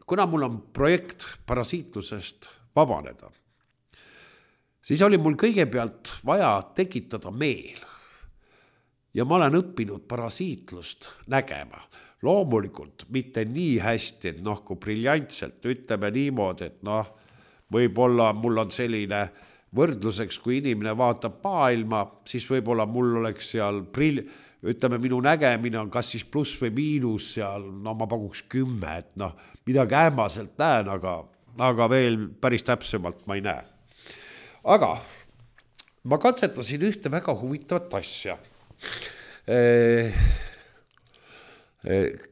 kuna mul on projekt parasiitlusest vabaneda, siis oli mul kõigepealt vaja tekitada meel. Ja ma olen õppinud parasiitlust nägema. Loomulikult mitte nii hästi, et noh, kui briljantselt, ütleme niimoodi, et noh, võib-olla mul on selline võrdluseks, kui inimene vaatab maailma, siis võib-olla mul oleks seal brill... ütleme, minu nägemine on kas siis pluss või miinus seal, no ma pakuks kümme, et noh, midagi ähmaselt näen, aga, aga veel päris täpsemalt ma ei näe. Aga ma katsetasin ühte väga huvitavat asja.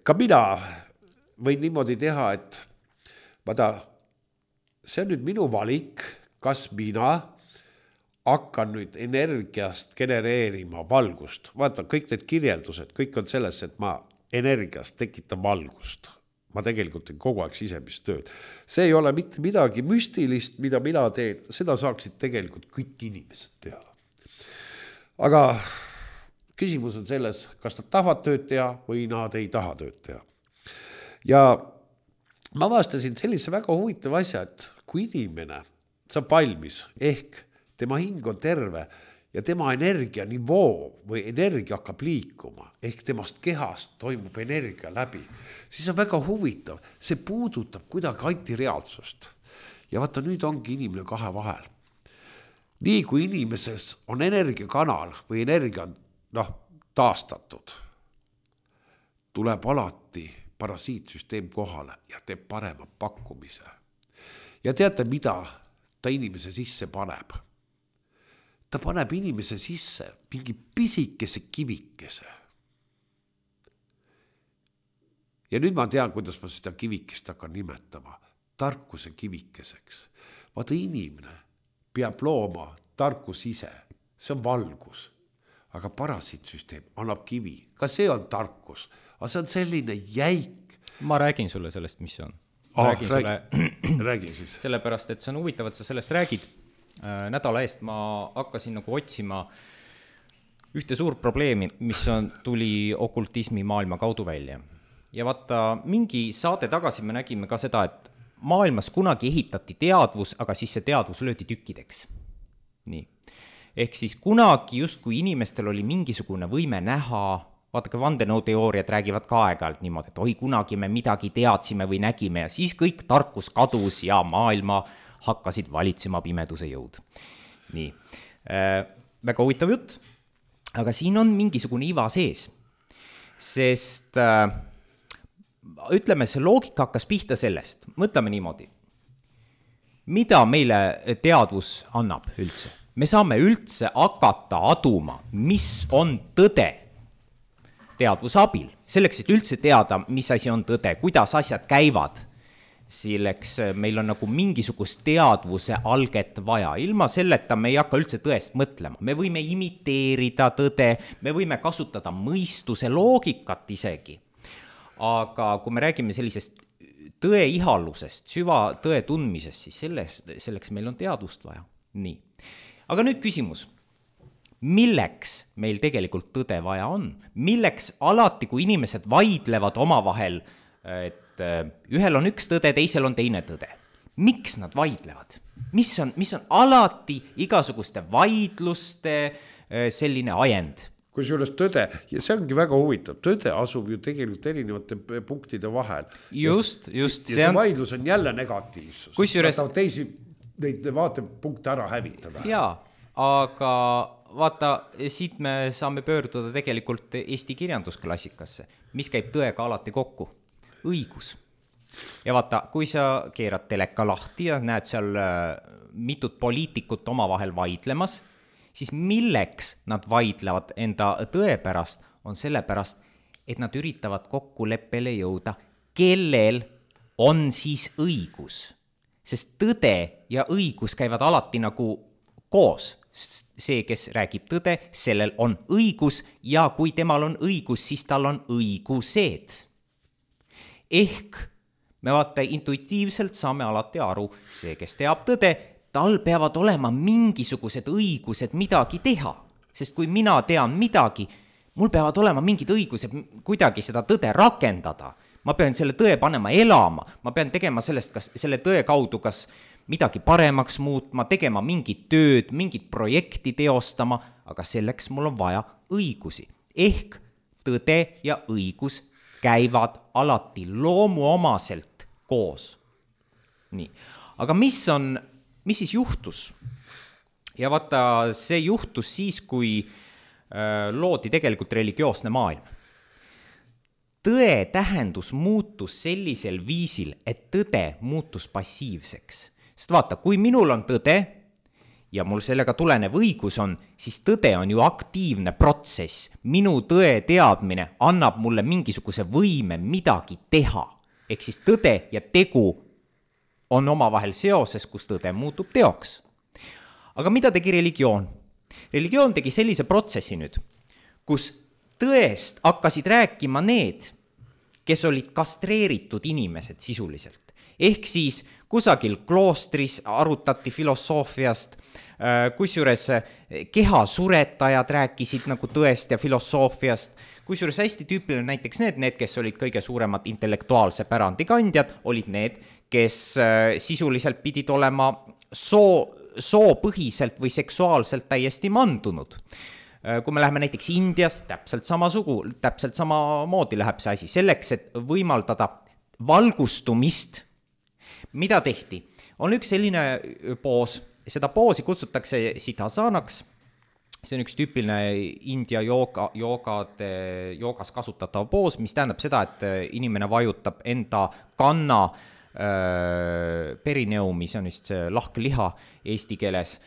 Ka mina võin niimoodi teha, et vaata, see on nüüd minu valik, kas mina hakkan nüüd energiast genereerima valgust. Vaata, kõik need kirjeldused, kõik on selles, et ma energiast tekitan valgust. Ma tegelikult teen kogu aeg sisemist tööd. See ei ole mitte midagi müstilist, mida mina teen. Seda saaksid tegelikult kõik inimesed teha. Aga küsimus on selles, kas nad tahavad tööd teha või nad ei taha tööd teha. Ja ma avastasin sellise väga huvitava asja, et kui inimene saab valmis, ehk tema hing on terve ja tema energia nivoo või energia hakkab liikuma, ehk temast kehast toimub energia läbi, siis on väga huvitav. See puudutab kuidagi antireaalsust. Ja vaata, nüüd ongi inimene kahe vahel. Nii kui inimeses on energiakanal või energia on noh, taastatud, tuleb alati parasiitsüsteem kohale ja teeb parema pakkumise. Ja teate, mida ta inimese sisse paneb? Ta paneb inimese sisse mingi pisikese kivikese. Ja nüüd ma tean, kuidas ma seda kivikest hakkan nimetama. Tarkuse kivikeseks. Vaata, inimene peab looma tarkus ise. See on valgus. Aga parasiitsüsteem annab kivi. Ka see on tarkus. Aga see on selline jäik. Ma räägin sulle sellest, mis see on. Ah, räägin räägi, sulle... räägi siis. Sellepärast, et see on huvitav, et sa sellest räägid. Nädala eest ma hakkasin nagu otsima ühte suurt probleemi, mis on, tuli okultismi maailma kaudu välja. Ja vaata, mingi saade tagasi me nägime ka seda, et maailmas kunagi ehitati teadvus, aga siis see teadvus löödi tükkideks. Nii. Ehk siis kunagi just kui inimestel oli mingisugune võime näha, vaata ka vandenõuteooriad räägivad ka aeg-ajalt niimoodi, et oi, kunagi me midagi teadsime või nägime ja siis kõik tarkus kadus ja maailma hakkasid valitsema pimeduse jõud. Nii, äh, väga huvitav jutt, aga siin on mingisugune iva sees, sest äh, ütleme, see loogika hakkas pihta sellest, mõtleme niimoodi, mida meile teadvus annab üldse? Me saame üldse hakata aduma, mis on tõde teadvuse abil, selleks, et üldse teada, mis asi on tõde, kuidas asjad käivad. Selleks meil on nagu mingisugust teadvuse alget vaja. Ilma selleta me ei hakka üldse tõest mõtlema. Me võime imiteerida tõde, me võime kasutada mõistuse loogikat isegi. Aga kui me räägime sellisest tõe ihalusest, süva tõe tundmisest, siis selleks, selleks meil on teadvust vaja. Nii. Aga nüüd küsimus. Milleks meil tegelikult tõde vaja on? Milleks alati, kui inimesed vaidlevad omavahel, et ühel on üks tõde, teisel on teine tõde. Miks nad vaidlevad? Mis on, mis on alati igasuguste vaidluste selline ajend? kusjuures tõde, ja see ongi väga huvitav, tõde asub ju tegelikult erinevate punktide vahel. Just, just. Ja see, see on... vaidlus on jälle negatiivsus. Kusjuures... teisi neid vaatepunkte ära hävitada. Jaa, aga vaata, siit me saame pöörduda tegelikult Eesti kirjandusklassikasse, mis käib tõega alati kokku. Õigus. Ja vaata, kui sa keerad teleka lahti ja näed seal mitut poliitikut omavahel vaidlemas, siis milleks nad vaidlevad enda tõe pärast, on selle pärast, et nad üritavad kokkuleppele jõuda, kellel on siis õigus. Sest tõde ja õigus käivad alati nagu koos. See, kes räägib tõde, sellel on õigus ja kui temal on õigus, siis tal on õigused. Ehk me vaata intuitiivselt saame alati aru, see, kes teab tõde, tal peavad olema mingisugused õigused midagi teha. Sest kui mina tean midagi, mul peavad olema mingid õigused kuidagi seda tõde rakendada. Ma pean selle tõe panema elama, ma pean tegema sellest, kas selle tõe kaudu kas midagi paremaks muutma, tegema mingit tööd, mingit projekti teostama, aga selleks mul on vaja õigusi. Ehk tõde ja õigus käivad alati loomuomaselt koos. Nii. Aga mis on, mis siis juhtus? Ja vaata, see juhtus siis, kui äh, loodi tegelikult religioosne maailm. Tõe tähendus muutus sellisel viisil, et tõde muutus passiivseks. Sest vaata, kui minul on tõde ja mul sellega tulenev õigus on, siis tõde on ju aktiivne protsess. Minu tõe teadmine annab mulle mingisuguse võime midagi teha. Ehk siis tõde ja tegu on omavahel seoses, kus tõde muutub teoks. Aga mida tegi religioon? Religioon tegi sellise protsessi nüüd, kus tõest hakkasid rääkima need, kes olid kastreeritud inimesed sisuliselt. Ehk siis kusagil kloostris arutati filosoofiast, kusjuures kehasuretajad rääkisid nagu tõest ja filosoofiast, kusjuures hästi tüüpiline näiteks need, need, kes olid kõige suuremad intellektuaalse pärandikandjad, olid need, kes sisuliselt pidid olema soo, soopõhiselt või seksuaalselt täiesti mandunud. Kui me läheme näiteks Indiast, täpselt sama sugu, täpselt sama moodi läheb see asi. Selleks, et võimaldada valgustumist, mida tehti? On üks selline poos, seda poosi kutsutakse siddhasanaks. See on üks tüüpiline India jooga, joogade, joogas kasutatav poos, mis tähendab seda, et inimene vajutab enda kanna äh, perineumi, see on vist see lahkliha eesti keeles,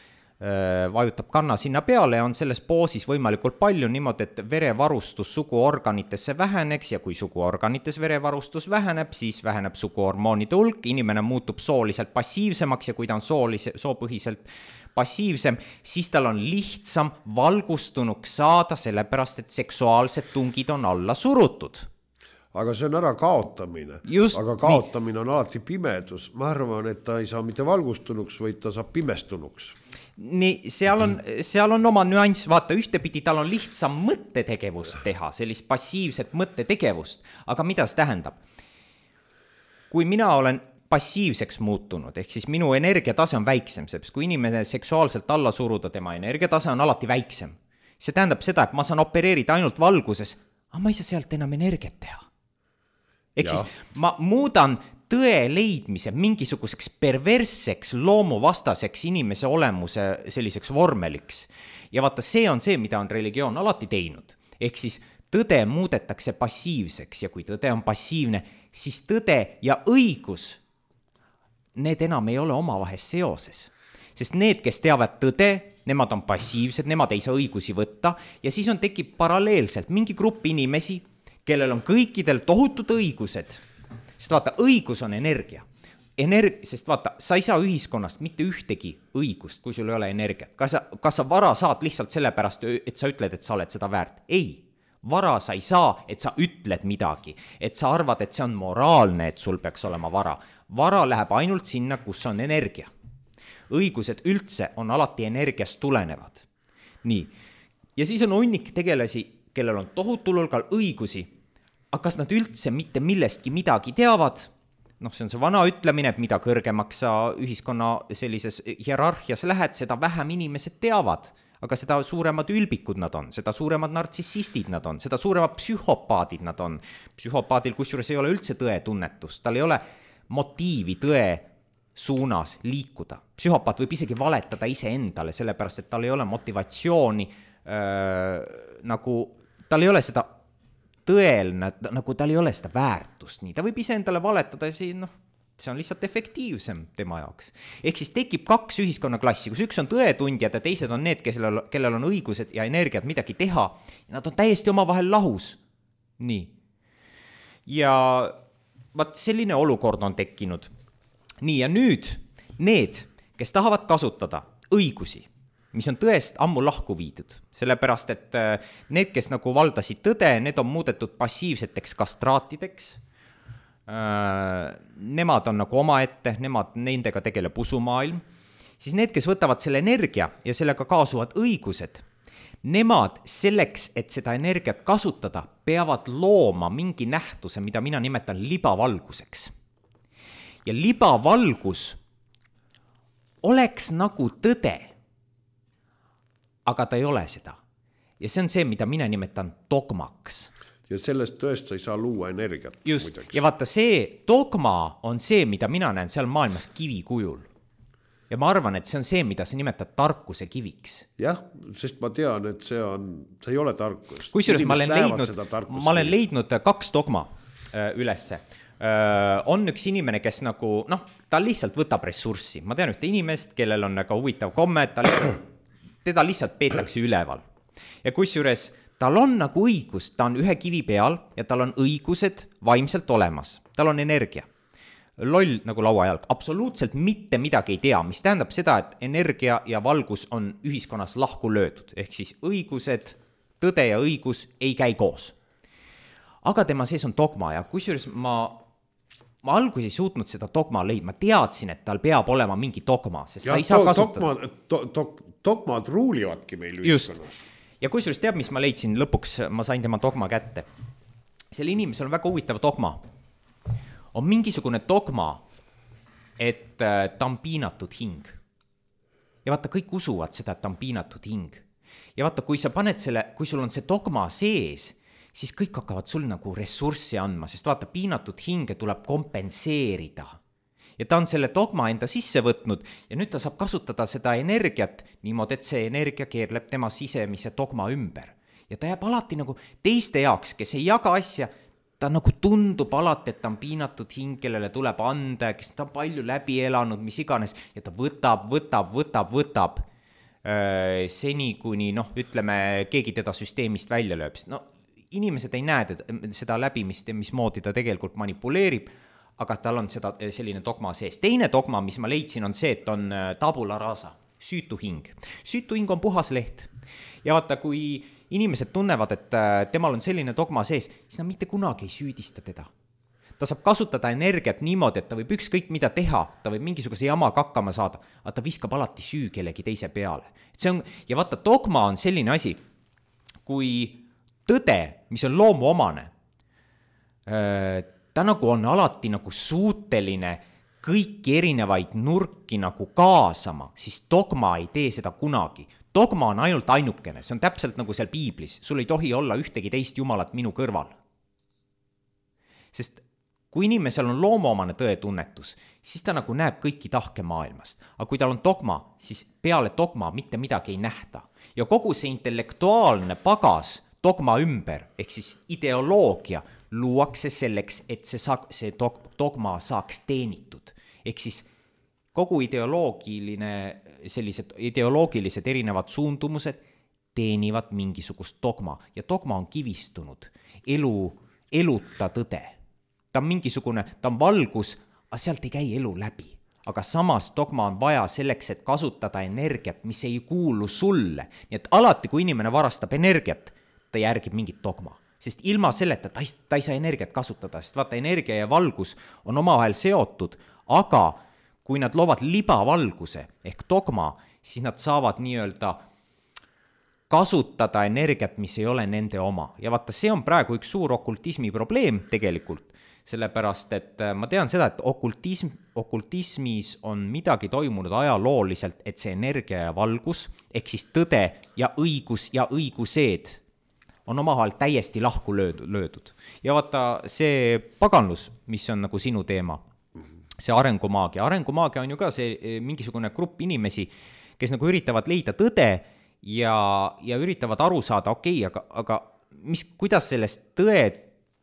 vajutab kanna sinna peale ja on selles poosis võimalikult palju niimoodi, et verevarustus suguorganitesse väheneks ja kui suguorganites verevarustus väheneb, siis väheneb suguhormoonide hulk, inimene muutub sooliselt passiivsemaks ja kui ta on soolise, soopõhiselt passiivsem, siis tal on lihtsam valgustunuks saada, sellepärast et seksuaalsed tungid on alla surutud. Aga see on ära kaotamine. Just, aga kaotamine nii. On alati pimedus. Ma arvan, et ta ei saa mitte valgustunuks, vaid ta saab pimestunuks. Nii, seal on, seal on oma nüanss, vaata, ühtepidi tal on lihtsam mõttetegevust teha, sellist passiivset mõttetegevust, aga mida see tähendab? Kui mina olen passiivseks muutunud, ehk siis minu energiatase on väiksem, sest kui inimene seksuaalselt alla suruda, tema energiatase on alati väiksem. See tähendab seda, et ma saan opereerida ainult valguses, aga ma ei saa sealt enam energiat teha. Ehk ja. Siis ma muudan tõe leidmise mingisuguseks perversseks, loomuvastaseks inimese olemuse selliseks vormeliks. Ja vaata, see on see, mida on religioon alati teinud. Ehk siis tõde muudetakse passiivseks ja kui tõde on passiivne, siis tõde ja õigus, need enam ei ole omavahel seoses. Sest need, kes teavad tõde, nemad on passiivsed, nemad ei saa õigusi võtta ja siis on tekib paralleelselt mingi grupp inimesi, kellel on kõikidel tohutud õigused. Sest vaata, õigus on energia. Energ... Sest vaata, sa ei saa ühiskonnast mitte ühtegi õigust, kui sul ei ole energiat. Kas sa, kas sa vara saad lihtsalt sellepärast, et sa ütled, et sa oled seda väärt? Ei. Vara sa ei saa, et sa ütled midagi. Et sa arvad, et see on moraalne, et sul peaks olema vara. Vara läheb ainult sinna, kus on energia. Õigused üldse on alati energiast tulenevad. Nii. Ja siis on hunnik tegelasi, kellel on tohutul hulgal õigusi, aga kas nad üldse mitte millestki midagi teavad? noh, see on see vana ütlemine, et mida kõrgemaks sa ühiskonna sellises hierarhias lähed, seda vähem inimesed teavad. aga seda suuremad ülbikud nad on, seda suuremad nartsissistid nad on, seda suuremad psühhopaadid nad on. Psühhopaadil kusjuures ei ole üldse tõetunnetust, tal ei ole motiivi tõe suunas liikuda. Psühhopaat võib isegi valetada iseendale, sellepärast et tal ei ole motivatsiooni, äh, nagu tal ei ole seda tõelne, nagu tal ei ole seda väärtust, nii ta võib iseendale valetada ja see, noh, see on lihtsalt efektiivsem tema jaoks. Ehk siis tekib kaks ühiskonnaklassi, kus üks on tõetundjad ja teised on need, kellel, kellel on õigused ja energiat midagi teha. Ja nad on täiesti omavahel lahus. Nii. Ja vaat selline olukord on tekkinud. Nii, ja nüüd need, kes tahavad kasutada õigusi, mis on tõest ammu lahku viidud, sellepärast, et need, kes nagu valdasid tõde, need on muudetud passiivseteks kastraatideks. Nemad on nagu omaette, nemad, nendega tegeleb usumaailm, siis need, kes võtavad selle energia ja sellega kaasuvad õigused, nemad selleks, et seda energiat kasutada, peavad looma mingi nähtuse, mida mina nimetan libavalguseks. Ja libavalgus oleks nagu tõde, aga ta ei ole seda. Ja see on see, mida mina nimetan dogmaks. Ja sellest tõest sa ei saa luua energiat. Just, muideks. Ja vaata see dogma on see, mida mina näen seal maailmas kivi kujul. Ja ma arvan, et see on see, mida sa nimetad tarkuse kiviks. Jah, sest ma tean, et see on, see ei ole tarkus. Kusjuures ma olen leidnud, ma olen leidnud kaks dogma ülesse. On üks inimene, kes nagu, noh, ta lihtsalt võtab ressurssi. Ma tean ühte inimest, kellel on nagu huvitav komme, ta lihtsalt, teda lihtsalt peetakse üleval. Ja kusjuures tal on nagu õigus, ta on ühe kivi peal ja tal on õigused vaimselt olemas. Tal on energia. Loll nagu lauajalg. Absoluutselt mitte midagi ei tea, mis tähendab seda, et energia ja valgus on ühiskonnas lahku löödud. Ehk siis õigused, tõde ja õigus ei käi koos. Aga tema sees on dogma ja kusjuures ma, ma alguses ei suutnud seda dogma leida. Ma teadsin, et tal peab olema mingi dogma, sest ja, sa ei saa kasutada. Dogma, do, do, dogmad ruulivadki meil ühiskonnas. Ja kusjuures teab, mis ma leidsin lõpuks, ma sain tema dogma kätte. Selle inimesel on väga huvitav dogma. On mingisugune dogma, et ta on piinatud hing. Ja vaata, kõik usuvad seda, et ta on piinatud hing. Ja vaata, kui sa paned selle, kui sul on see dogma sees, siis kõik hakkavad sul nagu ressurssi andma, sest vaata, piinatud hinge tuleb kompenseerida. Ja ta on selle dogma enda sisse võtnud ja nüüd ta saab kasutada seda energiat niimoodi, et see energia keerleb tema sisemise dogma ümber. Ja ta jääb alati nagu teiste jaoks, kes ei jaga asja, ta nagu tundub alati, et ta on piinatud hing, kellele tuleb anda, kes ta on palju läbi elanud, mis iganes, ja ta võtab, võtab, võtab, võtab öö, seni, kuni, noh, ütleme, keegi teda süsteemist välja lööb. No, inimesed ei näe seda läbimist, mis moodi ta tegelikult manipuleerib, aga tal on seda, selline dogma sees. Teine dogma, mis ma leidsin, on see, et on tabula rasa, süütu hing. Süütu hing on puhas leht. Ja vaata, kui inimesed tunnevad, et temal on selline dogma sees, siis nad mitte kunagi ei süüdista teda. Ta saab kasutada energiat niimoodi, et ta võib ükskõik mida teha, ta võib mingisuguse jamaga hakkama saada, aga ta viskab alati süü kellegi teise peale. See on, ja vaata, dogma on selline asi, kui tõde, mis on loomu omane, ta nagu on alati nagu suuteline kõiki erinevaid nurki nagu kaasama, siis dogma ei tee seda kunagi. Dogma on ainult ainukene, see on täpselt nagu seal piiblis. Sul ei tohi olla ühtegi teist jumalat minu kõrval. Sest kui inimesel on loomuomane tõetunnetus, siis ta nagu näeb kõiki tahke maailmast. Aga kui tal on dogma, siis peale dogma mitte midagi ei nähta. Ja kogu see intellektuaalne pagas dogma ümber, ehk siis ideoloogia, luuakse selleks, et see, sa- see dogma saaks teenitud. Ehk siis kogu ideoloogiline, sellised ideoloogilised erinevad suundumused teenivad mingisugust dogma. Ja dogma on kivistunud, elu, eluta tõde. Ta on mingisugune, ta on valgus, aga sealt ei käi elu läbi. Aga samas dogma on vaja selleks, et kasutada energiat, mis ei kuulu sulle. Nii et alati, kui inimene varastab energiat, ta järgib mingit dogma. Sest ilma selleta ta ei, ta ei saa energiat kasutada, sest vaata, energia ja valgus on omavahel seotud, aga kui nad loovad libavalguse ehk dogma, siis nad saavad nii-öelda kasutada energiat, mis ei ole nende oma. Ja vaata, see on praegu üks suur okultismi probleem tegelikult, sellepärast et ma tean seda, et okultism, okultismis on midagi toimunud ajalooliselt, et see energia ja valgus, ehk siis tõde ja õigus ja õigused on omavahel täiesti lahku löödud. Ja vaata, see paganlus, mis on nagu sinu teema, see arengumaagia, arengumaagia on ju ka see mingisugune grupp inimesi, kes nagu üritavad leida tõde ja, ja üritavad aru saada, okei, okay, aga, aga mis, kuidas sellest tõe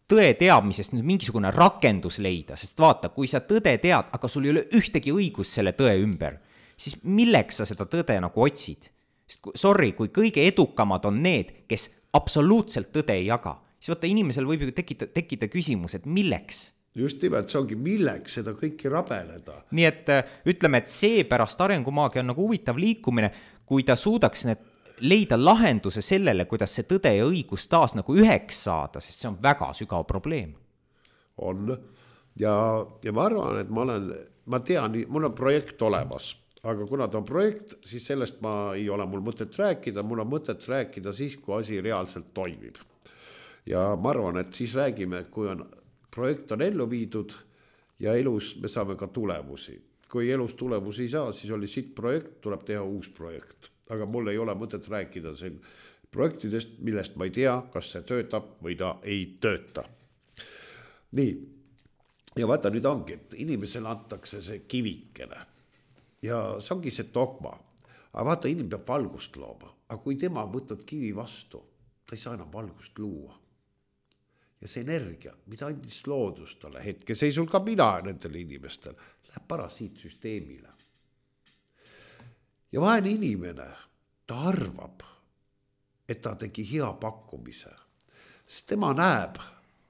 tõe teadmisest nüüd mingisugune rakendus leida, sest vaata, kui sa tõde tead, aga sul ei ole ühtegi õigus selle tõe ümber, siis milleks sa seda tõde nagu otsid? Sest sorry, kui kõige edukamad on need, kes absoluutselt tõde ei jaga, siis vaata, inimesel võib ju tekkida, tekkida küsimus, et milleks? Just nimelt, see ongi milleks seda kõiki rabeleda. Nii et ütleme, et see pärast arengumaagia on nagu huvitav liikumine, kui ta suudaks need leida lahenduse sellele, kuidas see tõde ja õigus taas nagu üheks saada, sest see on väga sügav probleem. On. Ja, ja ma arvan, et ma olen, ma tean, mul on projekt olemas, aga kuna ta on projekt, siis sellest ma ei ole mul mõtet rääkida, mul on mõtet rääkida siis, kui asi reaalselt toimib. Ja ma arvan, et siis räägime, kui on, projekt on ellu viidud ja elus me saame ka tulemusi. Kui elus tulemusi ei saa, siis oli siit projekt, tuleb teha uus projekt. Aga mul ei ole mõtet rääkida siin projektidest, millest ma ei tea, kas see töötab või ta ei tööta. Nii, ja vaata nüüd ongi, et inimesele antakse see kivikene ja see ongi see dogma. Aga vaata, inimene peab valgust looma, aga kui tema on võtnud kivi vastu, ta ei saa enam valgust luua. Ja see energia, mida andis loodus talle hetkeseisul ka mina nendele inimestel, läheb parasiitsüsteemile. Ja vaene inimene, ta arvab, et ta tegi hea pakkumise. Sest tema näeb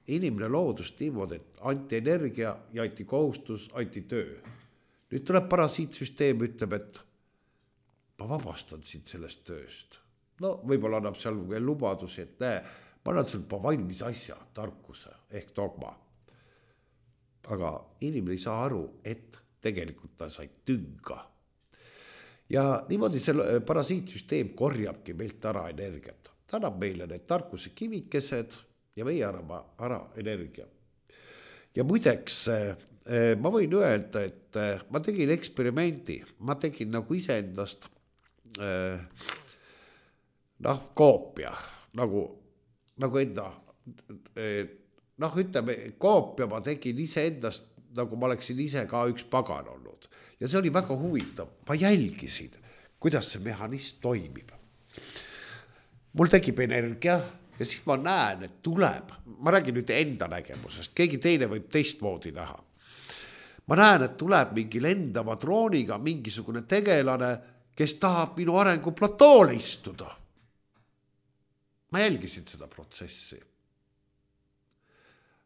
inimene loodust niimoodi, et anti energia ja anti kohustus, anti töö. Nüüd tuleb parasiitsüsteem, ütleb, et ma vabastan sind sellest tööst. No võib-olla annab seal veel lubadusi, et näe, ma annan sul valmis asja, tarkuse ehk dogma. Aga inimene ei saa aru, et tegelikult ta sai tünga. Ja niimoodi see parasiitsüsteem korjabki meilt ära energiat. Ta annab meile need tarkuse kivikesed ja meie arama ära energia. Ja muideks, ma võin öelda, et ma tegin eksperimendi, ma tegin nagu iseendast noh, koopia, nagu, nagu enda, noh, ütleme, koopia ma tegin iseendast, nagu ma oleksin ise ka üks pagan olnud. Ja see oli väga huvitav. Ma jälgisin, kuidas see mehhanism toimib. Mul tekib energia ja siis ma näen, et tuleb. Ma räägin nüüd enda nägemusest. Keegi teine võib teistmoodi näha. Ma näen, et tuleb mingi lendava drooniga mingisugune tegelane, kes tahab minu arengu platoole istuda. Ma jälgisin seda protsessi.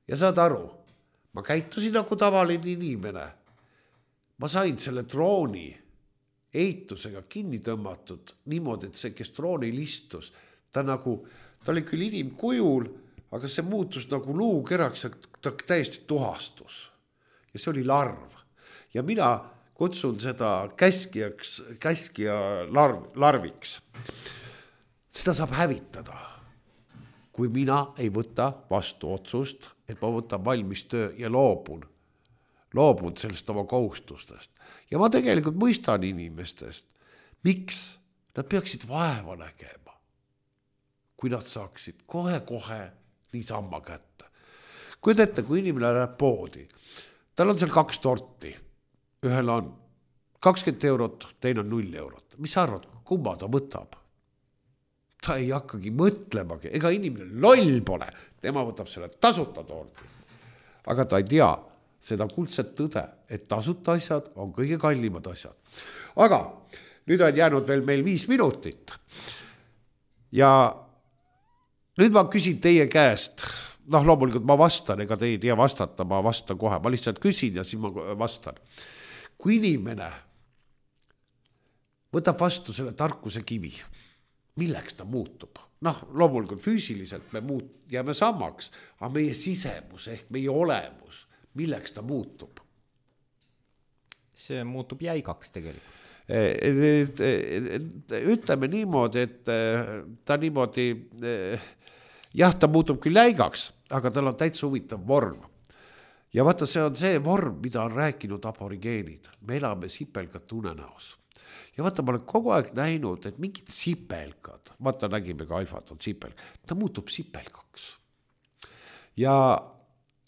Ja saad aru, ma käitusin nagu tavaline inimene. Ma sain selle drooni eitusega kinni tõmmatud niimoodi, et see, kes droonil istus, ta nagu, ta oli küll inimkujul, aga see muutus nagu luukeraks ja ta täiesti tuhastus. Ja see oli larv. Ja mina kutsun seda käskijaks, käskija larv, larviks. Seda saab hävitada, kui mina ei võta vastu otsust, et ma võtan valmis töö ja loobun. loobun sellest oma kohustustest. Ja ma tegelikult mõistan inimestest, miks nad peaksid vaeva nägema, kui nad saaksid kohe-kohe niisamma kätte. Kui ette, kui inimene läheb poodi, tal on seal kaks torti, ühel on kakskümmend eurot, teine on null eurot. Mis sa arvad, kumma ta võtab? Ta ei hakkagi mõtlemagi, ega inimene loll pole, tema võtab selle tasuta torti. Aga ta ei tea seda kuldset tõde, et tasuta asjad on kõige kallimad asjad. Aga nüüd on jäänud veel meil viis minutit. Ja nüüd ma küsin teie käest, noh loomulikult ma vastan, ega te ei tea vastata, ma vastan kohe, ma lihtsalt küsin ja siis ma vastan. Kui inimene võtab vastu selle tarkuse kivi, milleks ta muutub? Noh, loomulikult füüsiliselt me muut, jääme samaks, aga meie sisemus ehk meie olemus, milleks ta muutub? See muutub jäigaks tegelikult. Ütleme niimoodi, et ta niimoodi, jah, ta muutub küll jäigaks, aga tal on täitsa huvitav vorm. ja vaata, see on see vorm, mida on rääkinud aborigeenid. Me elame sipelgate unenäos. Ja vaata, ma olen kogu aeg näinud, et mingid sipelgad, vaata, nägime ka alfat on sipelg, ta muutub sipelgaks. Ja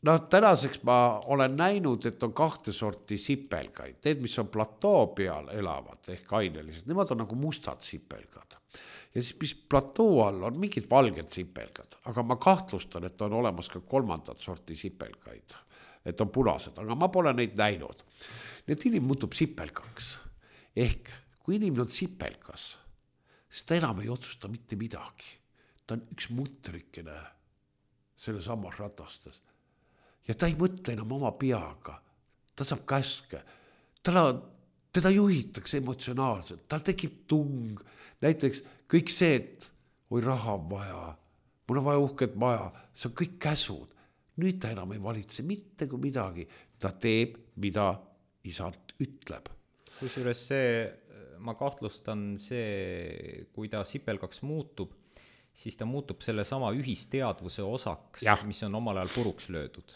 no tänaseks ma olen näinud, et on kahte sorti sipelgaid. Need, mis on platoo peal elavad ehk ainelised, nemad on nagu mustad sipelgad. Ja siis, mis platoo all on mingid valged sipelgad, aga ma kahtlustan, et on olemas ka kolmandat sorti sipelgaid, et on punased, aga ma pole neid näinud. Need inimene muutub sipelgaks ehk kui inimene on sipelgas, siis ta enam ei otsusta mitte midagi. Ta on üks mutrikene selle samas ratastes. Ja ta ei mõtle enam oma peaga. Ta saab käske. Tala, teda juhitakse emotsionaalselt. Tal tekib tung. Näiteks kõik see, et oi raha on vaja. Mul on vaja uhket maja. See on kõik käsud. Nüüd ta enam ei valitse mitte kui midagi. Ta teeb, mida isand ütleb. Kusjuures see, ma kahtlustan see, kui ta sipelgaks muutub, siis ta muutub selle sama ühisteadvuse osaks, ja. Mis on omal ajal puruks löödud.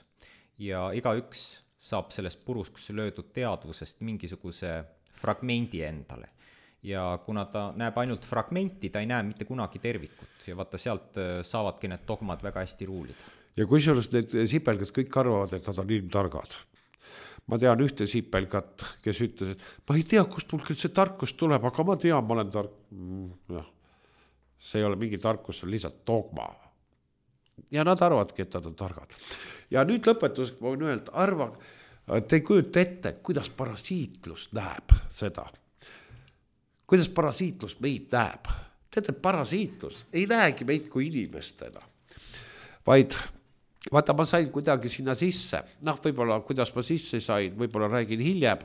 Ja iga üks saab sellest puruks löödud teadvusest mingisuguse fragmendi endale. Ja kuna ta näeb ainult fragmenti, ta ei näe mitte kunagi tervikut. Ja vaata, sealt saavadki need dogmad väga hästi ruulida. Ja kusjuures need sipelgad kõik arvavad, et nad on ilmtargad. Ma tean ühte sipelgat, kes ütles, et ma ei tea, kust mul küll see tarkus tuleb, aga ma tean, ma olen tark. Ja. See ei ole mingi tarkus, see on lihtsalt dogma. Ja nad arvadki, et nad on targad. Ja nüüd lõpetuseks ma võin öelda, arva, te ei kujuta ette, kuidas parasiitlus näeb seda. Kuidas parasiitlus meid näeb. Teate, parasiitlus ei näegi meid kui inimestena, vaid vaata, ma sain kuidagi sinna sisse. Noh, võib-olla, kuidas ma sisse sain, võib-olla räägin hiljem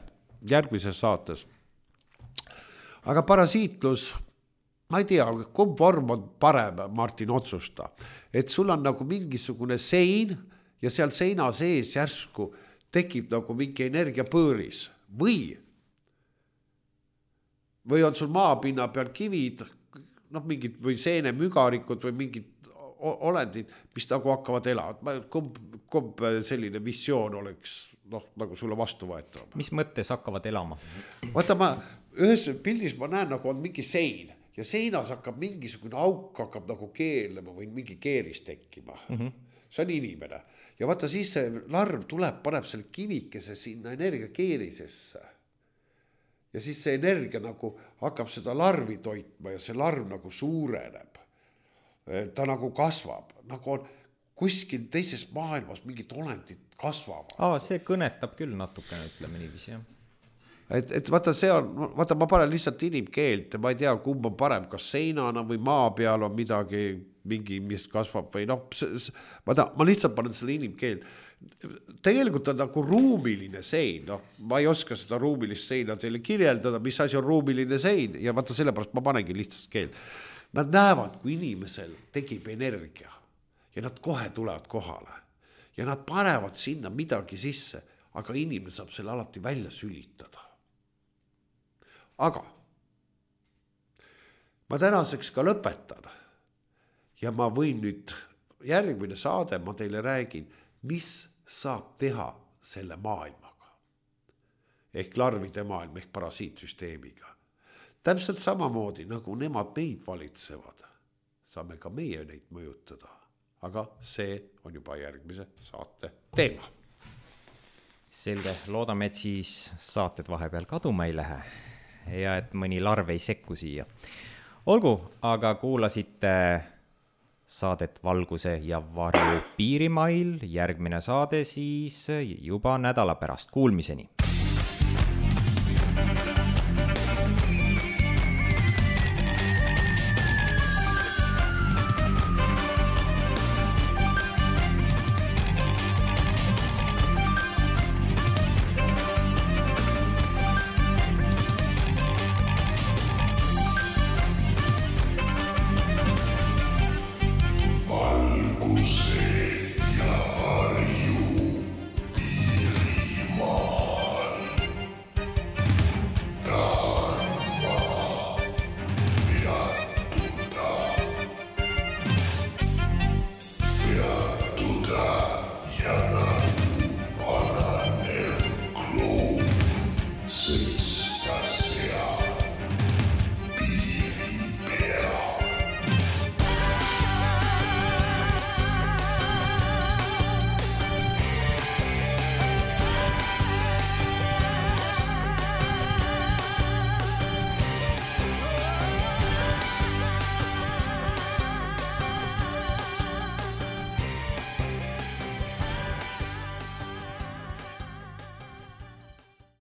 järgmises saates. Aga parasiitlus, ma ei tea, kumb vorm on parem, Martin, otsusta. Et sul on nagu mingisugune sein ja seal seina sees järsku tekib nagu mingi energiapõõris. Või, või on sul maapinna peal kivid, noh, mingid või seene mügarikud või mingid olendid, mis nagu hakkavad elama. Kumb, kumb selline visioon oleks noh, nagu sulle vastu võetav? Mis mõttes hakkavad elama? Vaata, ma ühes pildis ma näen, nagu on mingi sein ja seinas hakkab mingisugune auk hakkab nagu keelema või mingi keeris tekkima. Mm-hmm. See on inimene. Ja vaata, siis see larv tuleb, paneb selle kivikese sinna energia keerisesse. Ja siis see energia nagu hakkab seda larvi toitma ja see larv nagu suureneb. Ta nagu kasvab, nagu on kuskil teises maailmas mingid olendid kasvavad. Aa, see kõnetab küll natukene, ütleme niiviisi, jah. Et, et vaata, see on, vaata, ma panen lihtsalt inimkeelt ja ma ei tea, kumb on parem, kas seinana või maa peal on midagi, mingi, mis kasvab või noh, vaata, ma lihtsalt panen selle inimkeelt. Tegelikult on nagu ruumiline sein, noh, ma ei oska seda ruumilist seina teile kirjeldada, mis asi on ruumiline sein ja vaata, sellepärast ma panengi lihtsalt keelt. Nad näevad, kui inimesel tekib energia ja nad kohe tulevad kohale ja nad panevad sinna midagi sisse, aga inimene saab selle alati välja sülitada. Aga ma tänaseks ka lõpetan ja ma võin nüüd järgmine saade, ma teile räägin, mis saab teha selle maailmaga. Ehk larvide maailm, ehk parasiitsüsteemiga. Täpselt samamoodi, nagu nemad meid valitsevad, saame ka meie neid mõjutada. Aga see on juba järgmise saate teema. Selge, loodame, et siis saated vahepeal kaduma ei lähe ja et mõni larv ei sekku siia. Olgu, aga kuulasite saadet Valguse ja varju Piirimail. Järgmine saade siis juba nädala pärast. Kuulmiseni!